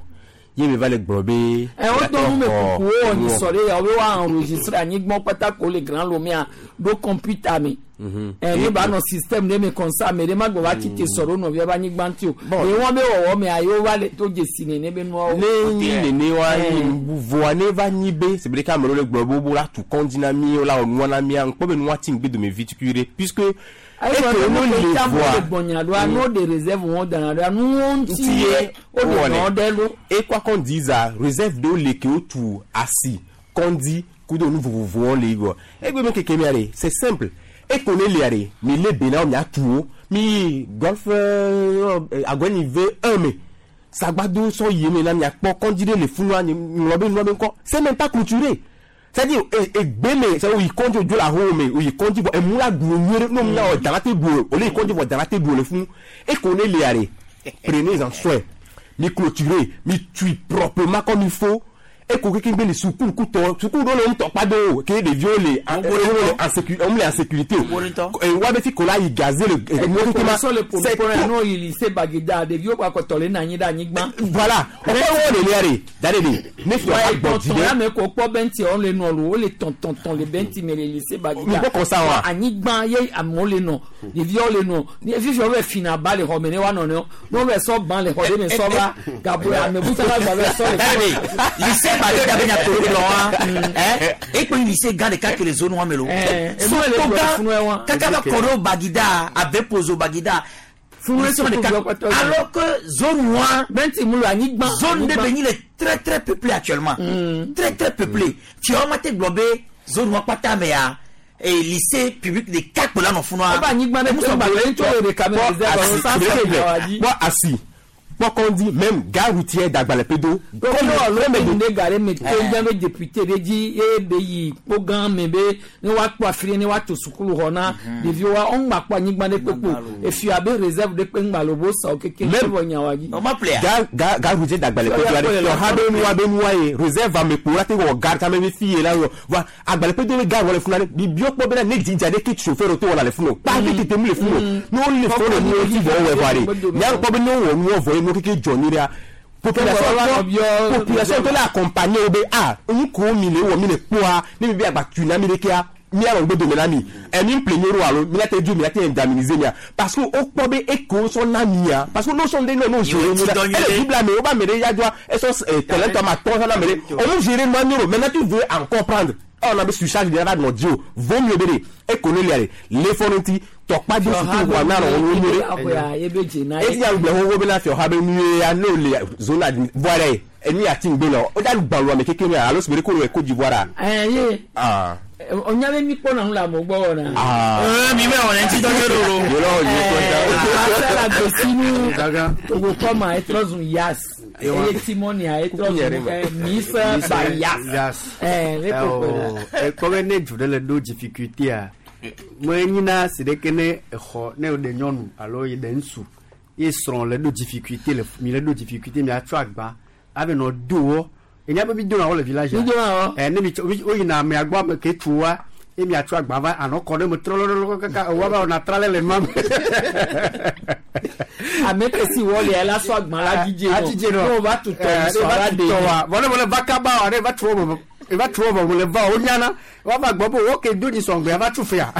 ye mi va le gblɔ be. ɛ wo dɔ nu me kuku wo wɔ Nuwɔ. nyisɔ ɖe ya wo be wa enregistré anyigba kpata ko le grand lomea ɖo kɔmputa me ɛ ne ba nɔ système ɖe me comme ça ame ɖe ma gbɔ va tsi te sɔ ɖo nɔvia be anyigba ŋuti o ye wɔn be wɔwɔ mea ye wo va le to dzesi nene be nuawo. ne nyi nene wa nyi voa ne va nyi be c'est vrai qu'ame ɖewo le gblɔ be wo la tu kɔndzi na mi wo la wɔ nua na mia ŋkpɔ be nua ti ŋgbe dome vi tukui ɖe puisque eke eke wo wo le le voa voa gbɔnya ɖoa n'o de réserve wɔn dana ɖoa nuwo ŋuti ye wo de nɔ ɖe lo. et quoi qu'on dise a réserve ɖewo le ke wotu asi kɔndzi kudo nu vovovowo le yi gbɔ egbe me keke mia ɖe c'est simple eko ne lia ɖe mi le be na wo miatu wo mi yi golf agɔnyi ve un me sagbado sɔ yi me na miakpɔ kɔndzi ɖe le funua ŋlɔ be nua be ŋkɔ c'est même pas clôturé c'est-à-dire egbe me c'est oyi kɔndzi odzo le ahowo me oyi kɔndzi vɔ emu la ɖu nyuie ɖe n'o mia wɔ dana te ɖu o ole yi kɔndzi vɔ dana te ɖu o le funu eko ne lia ɖe prenez en soin mi clôturer mi tui proprement comme il faut eko keke gbe le sukulu kutɔ sukulu ɖewo le ŋutɔ kpa do o ke ɖeviwo le en le en sécurité le en sécurité o wa be fi ko la yi gaze le nuwo keke ma sɔ le c'est pɔnpɔn n'o yi lycée Baguida ɖeviwo kpa kɔtɔ le nanyi ɖe anyigba. voilà ɔkpɔ wo le lia de da de de ne fi wa gbɔ dzi tɔntɔn ya ɖe me ko kpɔ bɛnti wo le nɔ lo wo le tɔntɔntɔn le bɛnti me le lycée Baguida. Mi kpɔ kɔsa wa. anyigba ye amewo le nɔ ɖeviwo le nɔ ni fifi wo bɛ fina ba le xɔ me ne wa nɔ ne wo bɛ sɔ ban le xɔ de me sɔ va gabo ame buta la gba bɛ sɔ le. lycée Baguida be nyatoro gblɔ wa ekpe lycée gã ɖeka ke le zone wa me lo emu le so gblɔ gã funua wa. kaka va kɔ ɖo Baguida ave pozo Baguida Funua zone ɖeka alors que zone wa bɛnti mu le anyigba zone de anyigba. be nyi le très très peuplé actuellement très très peuplé fiawo ma te gblɔ be zone wa kpata me ya et lycée public ɖeka kpe la nɔ funua Wobe anyigba ɖe kpe gba le ŋutsu le ɖeka me réserve asi sansan le wa dzi. kpɔ asi kpɔ kɔndi même gare routière d'Agbalépédo kɔmi ne gare me to dze be député ɖe dzi ye be yi kpo gã me be ne woakpɔ afi ɖe ne woato sukulu xɔ na ɖeviwo wa ŋgba kpɔ anyigba ɖe kpekpe o efi abe réserve ɖe kpe ŋgba le wo sa wo keke Même- vɔ nya wa dzi. gare gare routière d'Agbalépédo la ɖe ha be nua be nua ye réserve amekpo la te wɔ gare tame be fi ye la wɔ wa Agbalépédo be gare wɔ le funu la bi bio kpɔ bena ne dzidza ɖe ke chauffeur to wɔna le funu o kpa be tete mu le funu o ne wo le funu le nuwo ti vɔ wɔ vɔ ɖe nya kpɔ be ne wɔ nuwo vɔ ye nuwo keke dzɔ nyuie ɖea Population tɔ, population tɔ le accompagner wo be ah, nu ko mi le wɔ mi le kpɔa, ne mi be agba tu na mi ɖekea, mía nɔ ŋgbe dome na mi. Emi ƒle nyo ɖo alo mi la te dzo mi la te indemniser mia parce que wo kpɔ be eke wo sɔ na mia, parce que ne wo sɔ ŋɖe nɔ ne wo gérer nyo ɖa, ele Biblia me wo be ame ɖe ya dzoa esɔ terrain tɔ ame atɔ̃ sɔ na ame ɖe, wo mu gérer nua nyo ɖo. Maintenant tu veux encore prendre, ewɔna be surcharge ɖe va nɔ dziwò, vaut mieux be ɖe eko ne lia ɖe le fɔ ɖe ŋuti tɔkpa do suku ʋua na nɔ wo nyo ɖe. Eti ya gblɔ xoxo bena fiɔha be nu ye ya ne wo le zone admi voa ɖe enu ya ti ŋgbe nɔ wo da gbalɔ ame keke mea alo sigbe ɖe ko le Côte d'Ivoire a. Ɛɛ ye. Ah. Onya be mi kpɔna nu le amewo gbɔ wɔna. Ah. Ɛɛ mi bɛ wɔna ŋuti dɔ nyuie ɖo. Yolɔ yi ko da. Ɛɛ la gbesinu Togo kɔma etrɔ zu yas. Eye Timonia etrɔ zu Mise ba yas. Ɛɛ ne ko kpe ɖe. Ekpɔ be ne du ɖe le ɖo difficulté a, menyina si ɖeke ne exɔ ne ɖe nyɔnu alo yi ɖe ŋutsu ye srɔ̃ le ɖo difficulté le mi le ɖo difficulté miatsɔ agba ave nɔ do wɔ. Enya be mi dona wɔ le village. Mi dona wɔ. Ɛ ne mi tsɔ wo yina amea gbɔ ame ke tu wa ye miatsɔ agba va anɔ kɔ ɖe me trɔlɔlɔlɔ kaka ewa va wɔna tra le le nua me. Ame ke si wɔ lia la sɔ agba la dzidze nɔ. Adzidze nɔ. Ne wo va tu tɔ Ɛ, mi sɔ la ɖe. tɔ wa. Vɔ ne wole va kaba wa ne va tu wɔ me va tu wɔ me le va wo nyana. Wa va gbɔ be wo ke do dzi sɔgbea va tu fia.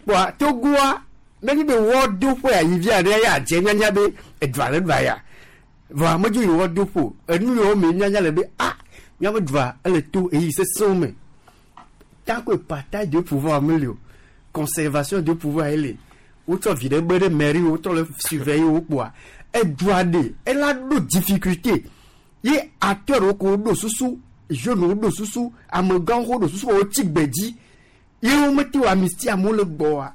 Kpɔa Togoa ne nyi be wɔ do ƒe ayi via ɖe ya dze nyanya be edua le ɖua ya. Vɔa medzo yi wɔ do ƒo enu yiwo me nyanya le be ah míaƒe dua ele to eyi sesẽwo me. Tant que partage de pouvoir meli o, conservation de pouvoir ele. Wotsɔ vi ɖe be ɖe mairie wotrɔ le surveiller wo kpoa edua ɖe ela ɖo difficulté ye acteur wo ko ɖo susu, jeunes wo ɖo susu, amegãwo ɖo susu wotsi gbe dzi ye wo mete wɔ amnistie amewo le gbɔa.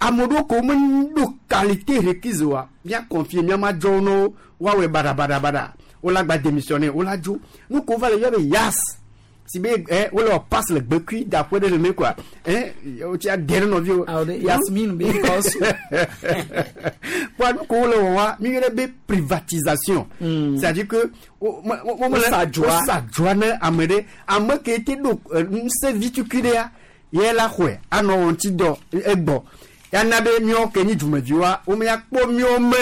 Ame ɖewo ko meɖo qualité requise oa, mía confier mía ma dzɔwo ne wo woawɔe baɖabaɖabaɖa. Wola gba démissionner, wola dzo. Nu ko va le yɔ be yas. Si be wole wɔ passe le gbekui da ƒe ɖe nene quoi. Wotsi ade ɖe nɔviwo. Yasmine be kɔsu. Kpɔa nu ko wole wɔ wa, mi yɔnɛ be privatisation. C'est-à-dire que wo me wo me Wosa dzoa. wosa dzoa ne ame ɖe. Ame ke te ɖo ŋusẽ vi tukui ɖea, ye la xɔe anɔ wɔ ŋuti dɔ egbɔ. Ya na be míawo ke nyi dumeviwoa, wo me ya kpɔ míawo me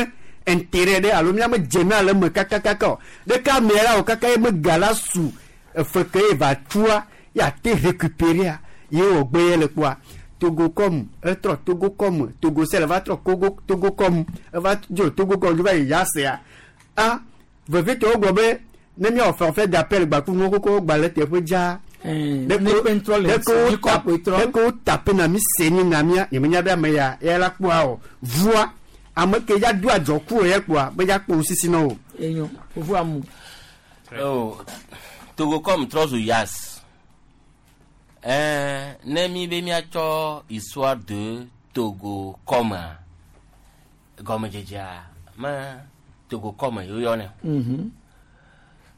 intérêt ɖe alo míame dze na le eme kakakaka o. Ɖeka amea la wɔ kaka ye me ga la su efe ke ye va tua, ya te récupérer ye wɔ gbe ye le kpɔa. Togo kɔm, etrɔ Togo kɔm, Togo sel va trɔ Kogo, Togo kɔm, eva dzo Togo kɔm, dzo va yi Yasea. A, vevitɔ wogblɔ be ne míawɔ forfait d'appel gbaku nuwo koko gba le teƒe dzaa. Ne kpe ŋtrɔ le ŋuti, kɔ akpoe trɔ. Ɖeko wo tape na mi se ni na mía, nye menya be ame ya, ya la kpɔa o. Vua, ame ke ya do adzɔ ku o ya kpɔa, be ya kpɔ ŋusisi na o. Enyo, fofo amu. Oh, Togo kɔm trɔ zu yas. Ne mi be míatsɔ histoire de Togo kɔmea, gɔmedzedzea me Togo kɔme yoyɔnɛ.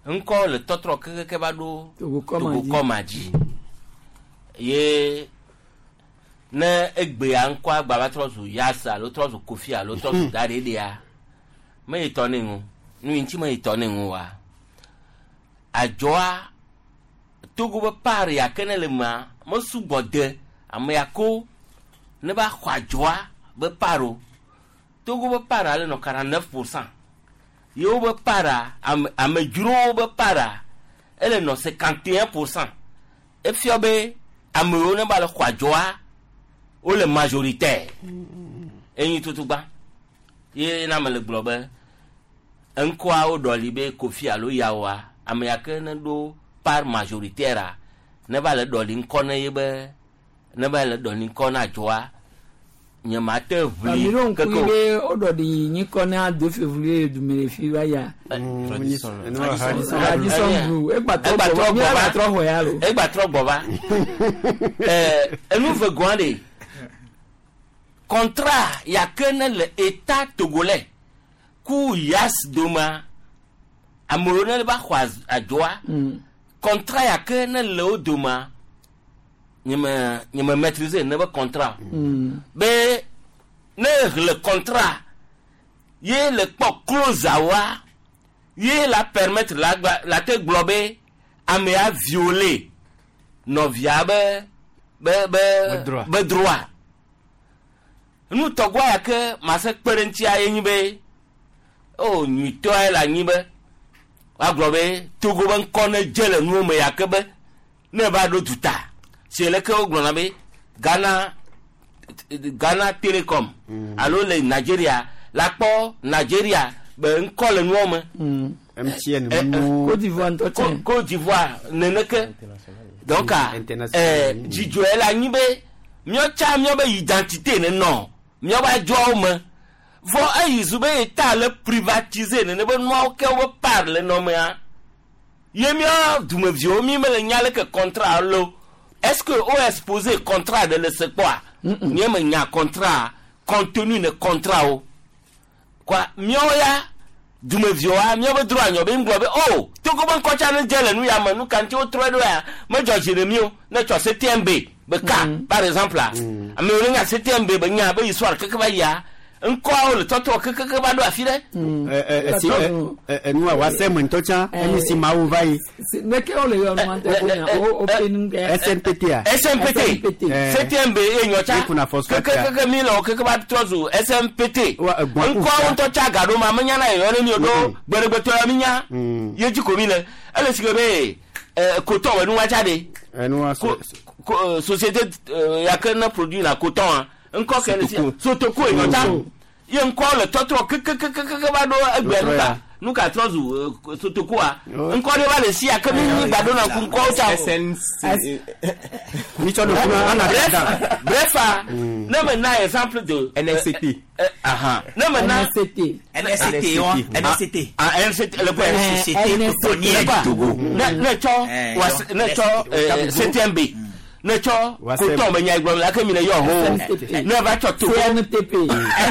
Ŋkɔ le tɔtrɔ kekeke va ɖo Togo kɔma Togo dzi. kɔma dzi. Ye ne egbea ŋkɔa gba va trɔ zu Yas alo trɔ zu Kofi alo trɔ zu Daɖeɖea, me yi tɔ ne ŋu. Nu yi ŋuti me yi tɔ ne ŋu wa. Adzɔa Togo be par ya ke ne le mea, mesugbɔ de ame ya ko ne va xɔ adzɔa be par o. Togo be par ale nɔ 49%. Yewo be para, amedzrowo be para, ele nɔ 51%. Efia be amewo ne va le xɔ adzɔa, wole majoritaire. Enyi tutugba. Ye na me le gblɔ be ŋkɔa wo ɖɔli be Kofi alo Yawoa, ame ya ke ne ɖo par majoritaire ne va le ɖɔli ŋkɔ ne ye be, ne va le ɖɔli ŋkɔ na adzɔa, nye ma te ʋli Ami ɖo ŋku keke o. be wo ɖɔli nyikɔ na 2 février du me le fi va ya. Radisson. Radisson Blu. Egba trɔ Egba gbɔ trɔ va. gbɔ Míava va. trɔ xɔ ya lo. Egba trɔ gbɔ va. Enu ve gɔa ɖe. Contrat ya ke ne le état togolais ku yas doma, amewo ne va xɔ adzɔa, contrat ya ke ne le wo doma, nye me maîtriser ne be contrat. Be ne le contrat ye le kpɔ clause awa, ye la permettre la gba, la te gblɔ be amea violer nɔvia Be droit. be droit. Nu tɔgɔa ya ke ma se kpe ɖe ŋutia ye nyi be, O nyuitɔa le anyi be woagblɔ be Togo be ŋkɔ ne dze le nuwo me ya ke be ne va ɖo duta si leke wogblɔna be Ghana Ghana Telecom alo le Nigeria la kpɔ Nigeria be ŋkɔ le nuwo me. MTN Côte d'Ivoire ŋutɔ tsɛ. Côte d'Ivoire neneke donc dzidzɔe le anyi be míatsã míabe identité nenɔ míabe adzɔawo me vɔ eyi zu be eta le privatiser nene be nuawo ke wobe part le nɔmea ye mía dumeviwo mi mele nya leke contrat lo est ce que wo exposé contrat ɖe le se kpɔa nye me nya contrat contenu ne contrat wo quoi míawo ya dumeviwoa míabe droit nyɔ be ŋgblɔ be o Togo be ŋkɔtsa ne dze le nu ya me nu ka ŋuti wotrɔe ɖo ya medzɔ dzi ne mi o ne tsɔ CTMB be ka par exemple a amewo ne nya CTMB be nya be histoire keke va yia ŋkɔawo le tɔtrɔ kekeke va ɖo afi ɖe. Enua wa sɛ me ŋutɔ tsã enyi si mawu va yi. Neke wole yɔ nua tɛ ko nya o o pe nu kɛ. SNPT a. SNPT CTMB ye nyɔ tsa Ye kuna phosphate keke a. keke mi le wɔ keke va trɔ zu SNPT Gbɔn ku ŋkɔawo fia. ŋutɔ tsa ga ɖo ma menya na yɔyɔ ne mi o ɖo gbeɖegbetɔ ya mi nya ye dzi ko mi le ele si ke be coton be nuwa tsa de Enua ko ko société ya ke ne produit la coton a ŋkɔ ke le si Sotoko ye nyɔ tsa ye ŋkɔ le tɔtrɔ kekekekeke va ɖo egbea Tɔtrɔ nuka ya. nuka trɔ zu Sotokoa ŋkɔ ɖe va le si ya ke mi mi gba ɖo na ŋku ŋkɔwo tsa o. Mi tsɔ ɖo funa ana Bref, dada. bref, ah, ne me na exemple de NSCT. Ne me na NSCT. NSCT, wa. NSCT. Ah, NSCT, le quoi? Société cotonnière du Togo. Ne tsɔ ne tsɔ CTMB. Ne tsɔ coton be nya gblɔm la ke mi le yɔ ho. Ne va tsɔ Togo. CNTP.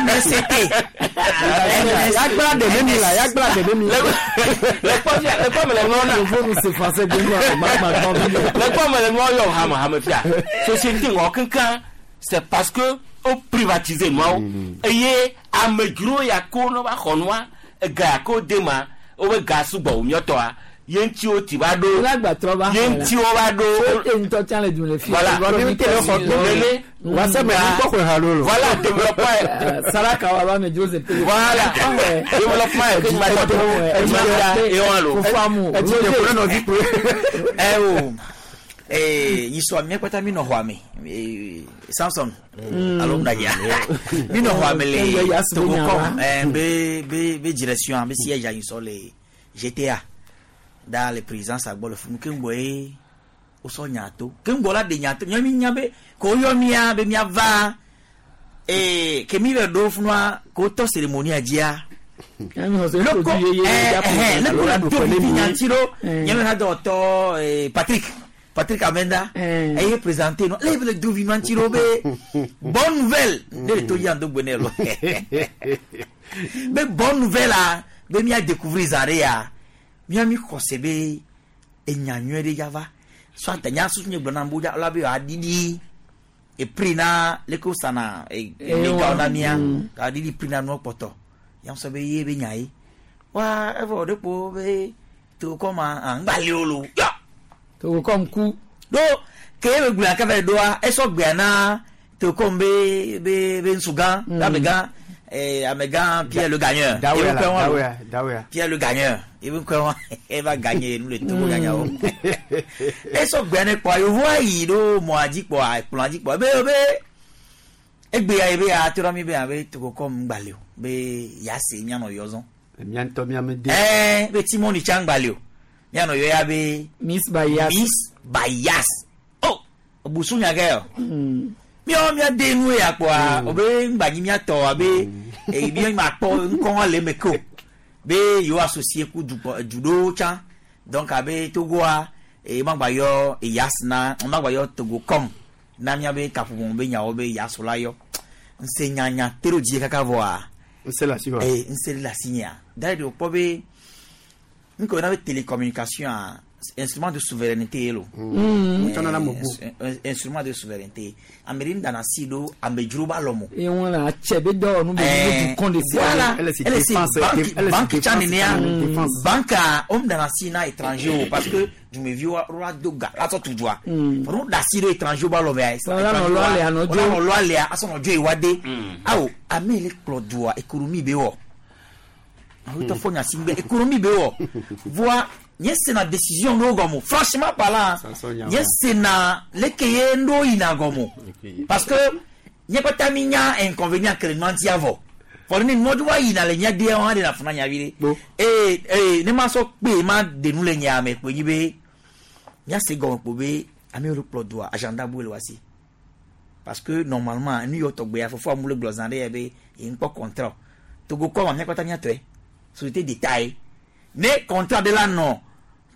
NSCT. Yagbla ɖe ne mi la yagbla ɖe ne mi. Le kpɔ fia, le kpɔ me le nua na. Yovo nu se français de nous ma ma ma Le kpɔ me le nua yɔ hame hame fia. Société ŋɔ kankan c'est parce que o privatiser nuawo eye amedzro ya ko ne va xɔ nua ega ya ko de ma wobe ga sugbɔ wo miɔtɔa ye ŋuti wo ti va ɖo ye ŋuti wo va ɖo E ŋutɔ tsã le dun le fi. Voilà. Nene. Wa sɛ me ŋkɔ xɔ ha lolo. Voilà développement Saraka wa ba me Joseph. Voilà développement ye ke ma tɔ to e wa lo. Fufu amu. Eh o. Eh, yisɔ mía kpata mi nɔ xɔa me. Eh, Samson. Alo ŋdadza. Mi nɔ xɔa me le Togocom. Eh, be be be direction be siège yisɔ le GTA. Da le président sagbɔ le funu keŋgbɔ ye wosɔ nya to. Keŋgbɔ la de nya to. Nyɔ mi nya be ko yɔ mía be mía va. Eh, ke mi le ɖo funua ko tɔ cérémonie dzia. Loko eh eh leko la do vivi nyanti ɖo. Nye me ha dɔwɔtɔ eh, Patrick Patrick Amenda eye présenté no le le do vivi nyanti ɖo be bonne nouvelle ne le to yi ando gbe ne lo be bonne nouvelle a be mía découvrir zã ɖe ya mía mi xɔse be enya nyuie ɖe ya va soit nya susu nye gblɔ na bo la be aɖiɖi epri na leke wosana egawo na mía aɖiɖi pri na nua kpɔtɔ ya sɔ be ye be nya ye wa evɔ ɖe kpo be tokɔ ma ah ŋgba li o lo yɔ Togocom ku. ɖo ke ye be gblɔa kɛfɛ ɖoa esɔ gbea na tokɔm be be be ŋsugã amegã amegã Pierre le gagneur Dawea Ye be la, ŋkɔe wa lo. dawea, dawea. Pierre le gagneur ye be ŋkɔe wa eva gagner nu le Togo ganyawo esɔ gbea ne kpɔa yevoa yi ɖo mɔa dzi kpɔa ekplɔa dzi kpɔa be be egbea ye be atrɔ mi be abe Togocom ŋgba li o be yase mianɔ yɔ zɔn Mía ŋutɔ mía me de. ɛɛ be Timoni tsa ŋgba li o mianɔ yɔ ya be Miss Bayas. Miss Bayas oh busu nya kɛ o miawo miade nu ya kpɔa o be ŋgba nyi miatɔ abe eyi mi ma kpɔ ŋkɔ le eme ke o be yewo associé ku dukɔ du ɖewo tsã donc abe Togoa eye ma gba yɔ eyas na ma gba yɔ Togocom na miabe kaƒomɔ be nyawo be yas la yɔ ŋse nyanya te ɖo dzi kaka vɔa Ŋse le asi wa. ee ŋse le asi nyea da ɖe wòkpɔ be nke wòna be télécommunication a instrument de souveraineté ye lo. Wotsɔna na amewo. Instrument de souveraineté ame ɖe dana si ɖo amedzro ba lɔmɔ. Eye wọn la tsɛ be dɔwɔnu be ne dukɔ de sia. Voilà. Elle c'est Elle c'est défense, banque, elle c'est banque tsa défense, nenea défense. banque a om dana si na étranger o parce que dumeviwo wa do ga la sɔ tu dua. Fɔlɔ da si ɖo étranger ba lɔmɛ. Wala nɔ lɔ alea nɔ dzo. Wala nɔ lɔ alea asɔ nɔ dzo yi wa de. Awo ame le kplɔ dua économie be wɔ. Awetɔ fɔ Gnassingbé économie be wɔ voa nye sena décision ɖewo gɔme o franchement parlant nye sena leke ye ŋɖewo yina gɔme o parce que nye kpata mi nya inconvénient ke le nua ŋuti avɔ vɔ ne nua dzo va yina le mía dea hã ɖena fu na nya vi ɖe eye eye ne ma sɔ kpe ma de nu le nya me kpoe nyi be míase gɔme kpo be ame yiwo kplɔ doa agenda bu le wa si parce que normalement nu yiwo tɔgbe ya fofoa mu le gblɔ zã ɖe ya be ye ŋkpɔ contrat Togo kɔm mía kpata míatɔe société d'État ye ne contrat ɖe la nɔ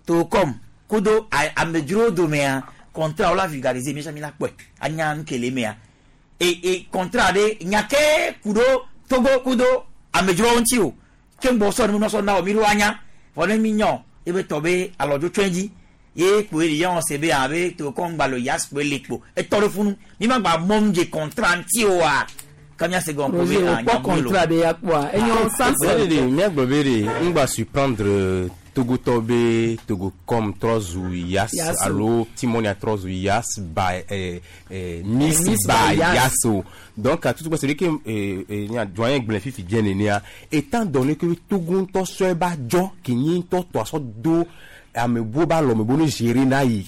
Togocom kudo amedzrowo domea contrat wo la vulgariser míatsã mi la kpɔe anya nu ke le emea e e contrat ɖe nya ke ku ɖo Togo kudo amedzrowo ŋuti o ke ŋgbɔ sɔ nu sɔ na wo mi ɖo anya vɔ ne mi nya o ebe tɔ be alɔdzo tsɔe dzi ye kpoe ɖe yɔn se be abe Togocom gba lo yas kpoe le kpo etɔ ɖe funu mi ma gba mɔm dze contrat ŋuti oa ke míase gɔme kpo be Roger, ah wòkpɔ nya bu lo. contrat ɖe ya kpɔa enyo Samson Ɖe ɖe míagblɔ be ɖe ŋgba surprendre Togotɔ be Togocom trɔ zu Yas Yas o. alo Timonia trɔ zu Yas ba Miss Miss ba by Yas. Yas o. Donc à tout ce que nya doyen gblẽ fifi dze nenea étant donné que Togo ŋutɔ sɔe ba dzɔ ke nyi ŋutɔ tɔ sɔ do amebuwo ba lɔme bo ne gérer na yi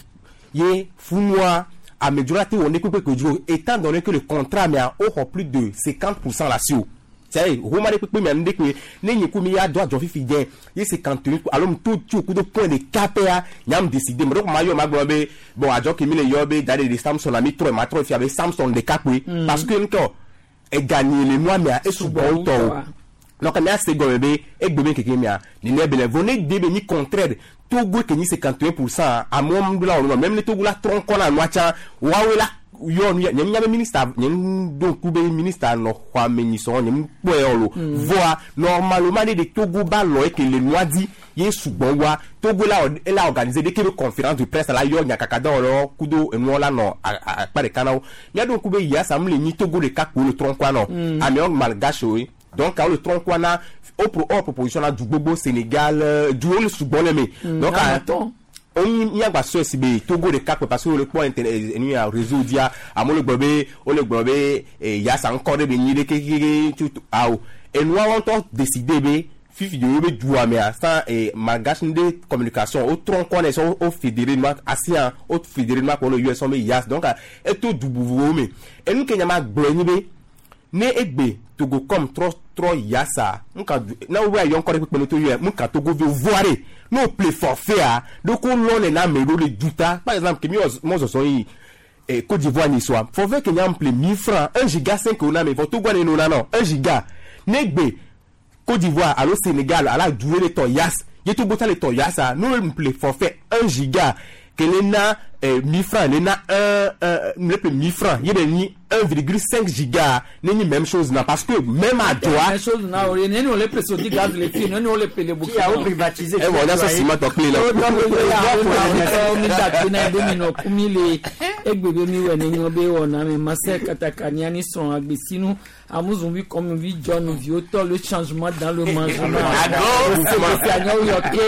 ye funua amedzrola te wɔ ne kpekpe ke dzro étant donné que le contrat mea woxɔ plus de 50% la si o c'est homa ɖe kpekpe mea nu ɖe koe ne nye ku mi ya do adzɔ fifi dze ye 51 alo mu to tso ku do point de kapea nyam décider me ɖe ko ma yɔ ma gblɔ be bon adzɔ ke mi le yɔ be da ɖe de Samson la mi trɔe ma trɔe fia be Samson ɖeka koe parce que ŋutɔ eganye le nua mea esugbɔ ŋutɔ o donc mía se gɔme be egbe be keke mea nene be le vɔ ne de be nyi contraire Togo ke nyi 51% amewo ŋu la wɔ nua même ne Togo la trɔ ŋkɔ na nua tsã woawoe la yɔ nu ya nye nya be ministre nye ŋu ɖo ŋku be ministre nɔ xɔa me nyi sɔn nye ŋu kpɔe yɔ lo voa normalement ne de Togo ba lɔ eke le nua di ye sugbɔ wa Togo la wɔ ela organiser ɖeke be conférence de presse la yɔ nyakaka dɔwɔlawo kudo enuwo la nɔ akpa ɖeka na wo mía ɖo ŋku be yasa mu le nyi Togo ɖeka kpo le trɔ ŋkɔa nɔ amewo malgache woe donc awo le trɔ ŋkɔa na wo pro wo proposition na du gbogbo Sénégal duwo le sugbɔ le me donc amatɔ. onyi míagba sɔe si be Togo ɖeka kpe parce que wole kpɔ internet enu ya réseau dzia amewo le gblɔ be wole gblɔ be yasa ŋkɔ ɖe be nyi ɖe kekeke tutu awo enuawo ŋutɔ décider be fifi de be dua mea sans malgache de communication wotrɔ ŋkɔ nɛ sɔ wo fédéré nua asia wo fédéré nua kpɔ le US be yas donc eto du vovovowo me enu ke nya ma gblɔ nyi be ne egbe Togocom trɔ trɔ yasa nka du na wo ayɔ ŋkɔ ɖe kpekpe ne to yɔ nka Togo vi voa ɖe ne wo ple forfait a ɖoko lɔ ne na ame ɖewo le duta par exemple ke mi wɔ mɔzɔzɔ yi Côte d'Ivoire ni soa forfait ke nya ple 1000 francs 1 giga 5 wo na me vɔ Togo ne no na nɔ 1 giga ne egbe Côte d'Ivoire alo Sénégal ala du le tɔ yas ye Togo ta le tɔ yasa ne wo ple forfait 1 giga ke le na 1000 francs le na 1 1 le ple 1000 francs ye be nyi 1,5 giga ne nyi même chose na parce que même adzoa Même chose na o ne ne le preso di gaz le fi ne ne le pele Qui a privatisé Eh bon, on a ça ciment tɔ kple la. mi dagbe na be mi nɔ kumi le egbe be mi wɔ ne nyɔ be wɔna me masɛ katakania ni srɔ̃ agbesinu amuzunvi kɔmuvi jɔnu viwo tɔ le changement dans le mangement gbesi yɔ ke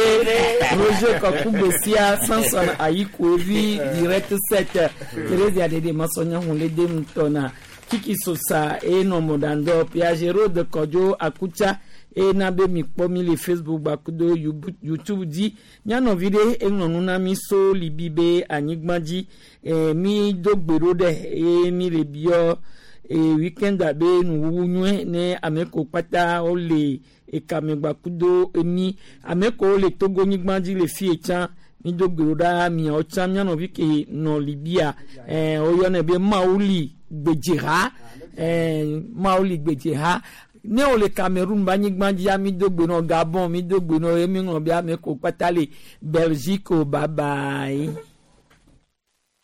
Roger kɔku gbesia Samson Ayikoevi direct 7 Thérésia dede masɔnya hun le dem tɔna Kiki Sosa enɔ mɔdandɔ Piagero de Kɔdzo Akutsa ena be mi kpɔ mi le Facebook gbakudo YouTube dzi mianɔvi ɖe eŋlɔ nu na mi so libi be anyigba dzi mi do gbe ɖo ɖe eye mi le biɔ weekend abe nuwuwu nyuie ne ame ko kpata wole ekame gbakudo emi ame ko le Togo nyigba dzi le fie tsã mi do gbe ɖo ɖa miawo tsã mianɔvi ke nɔ Libia woyɔnɛ be Mawuli gbedzeha Mawuli gbedzeha ne wole Cameroun ba anyigba dzia mi do gbe nɔ Gabon mi do gbe nɔ emi ŋlɔ be ame ko kpata le Belgique o bye bye.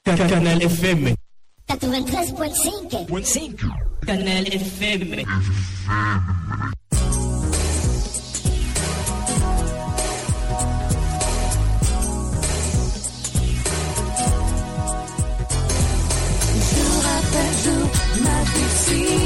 Canal FM. 93.5. Canal FM. Jour après jour, ma vie suit.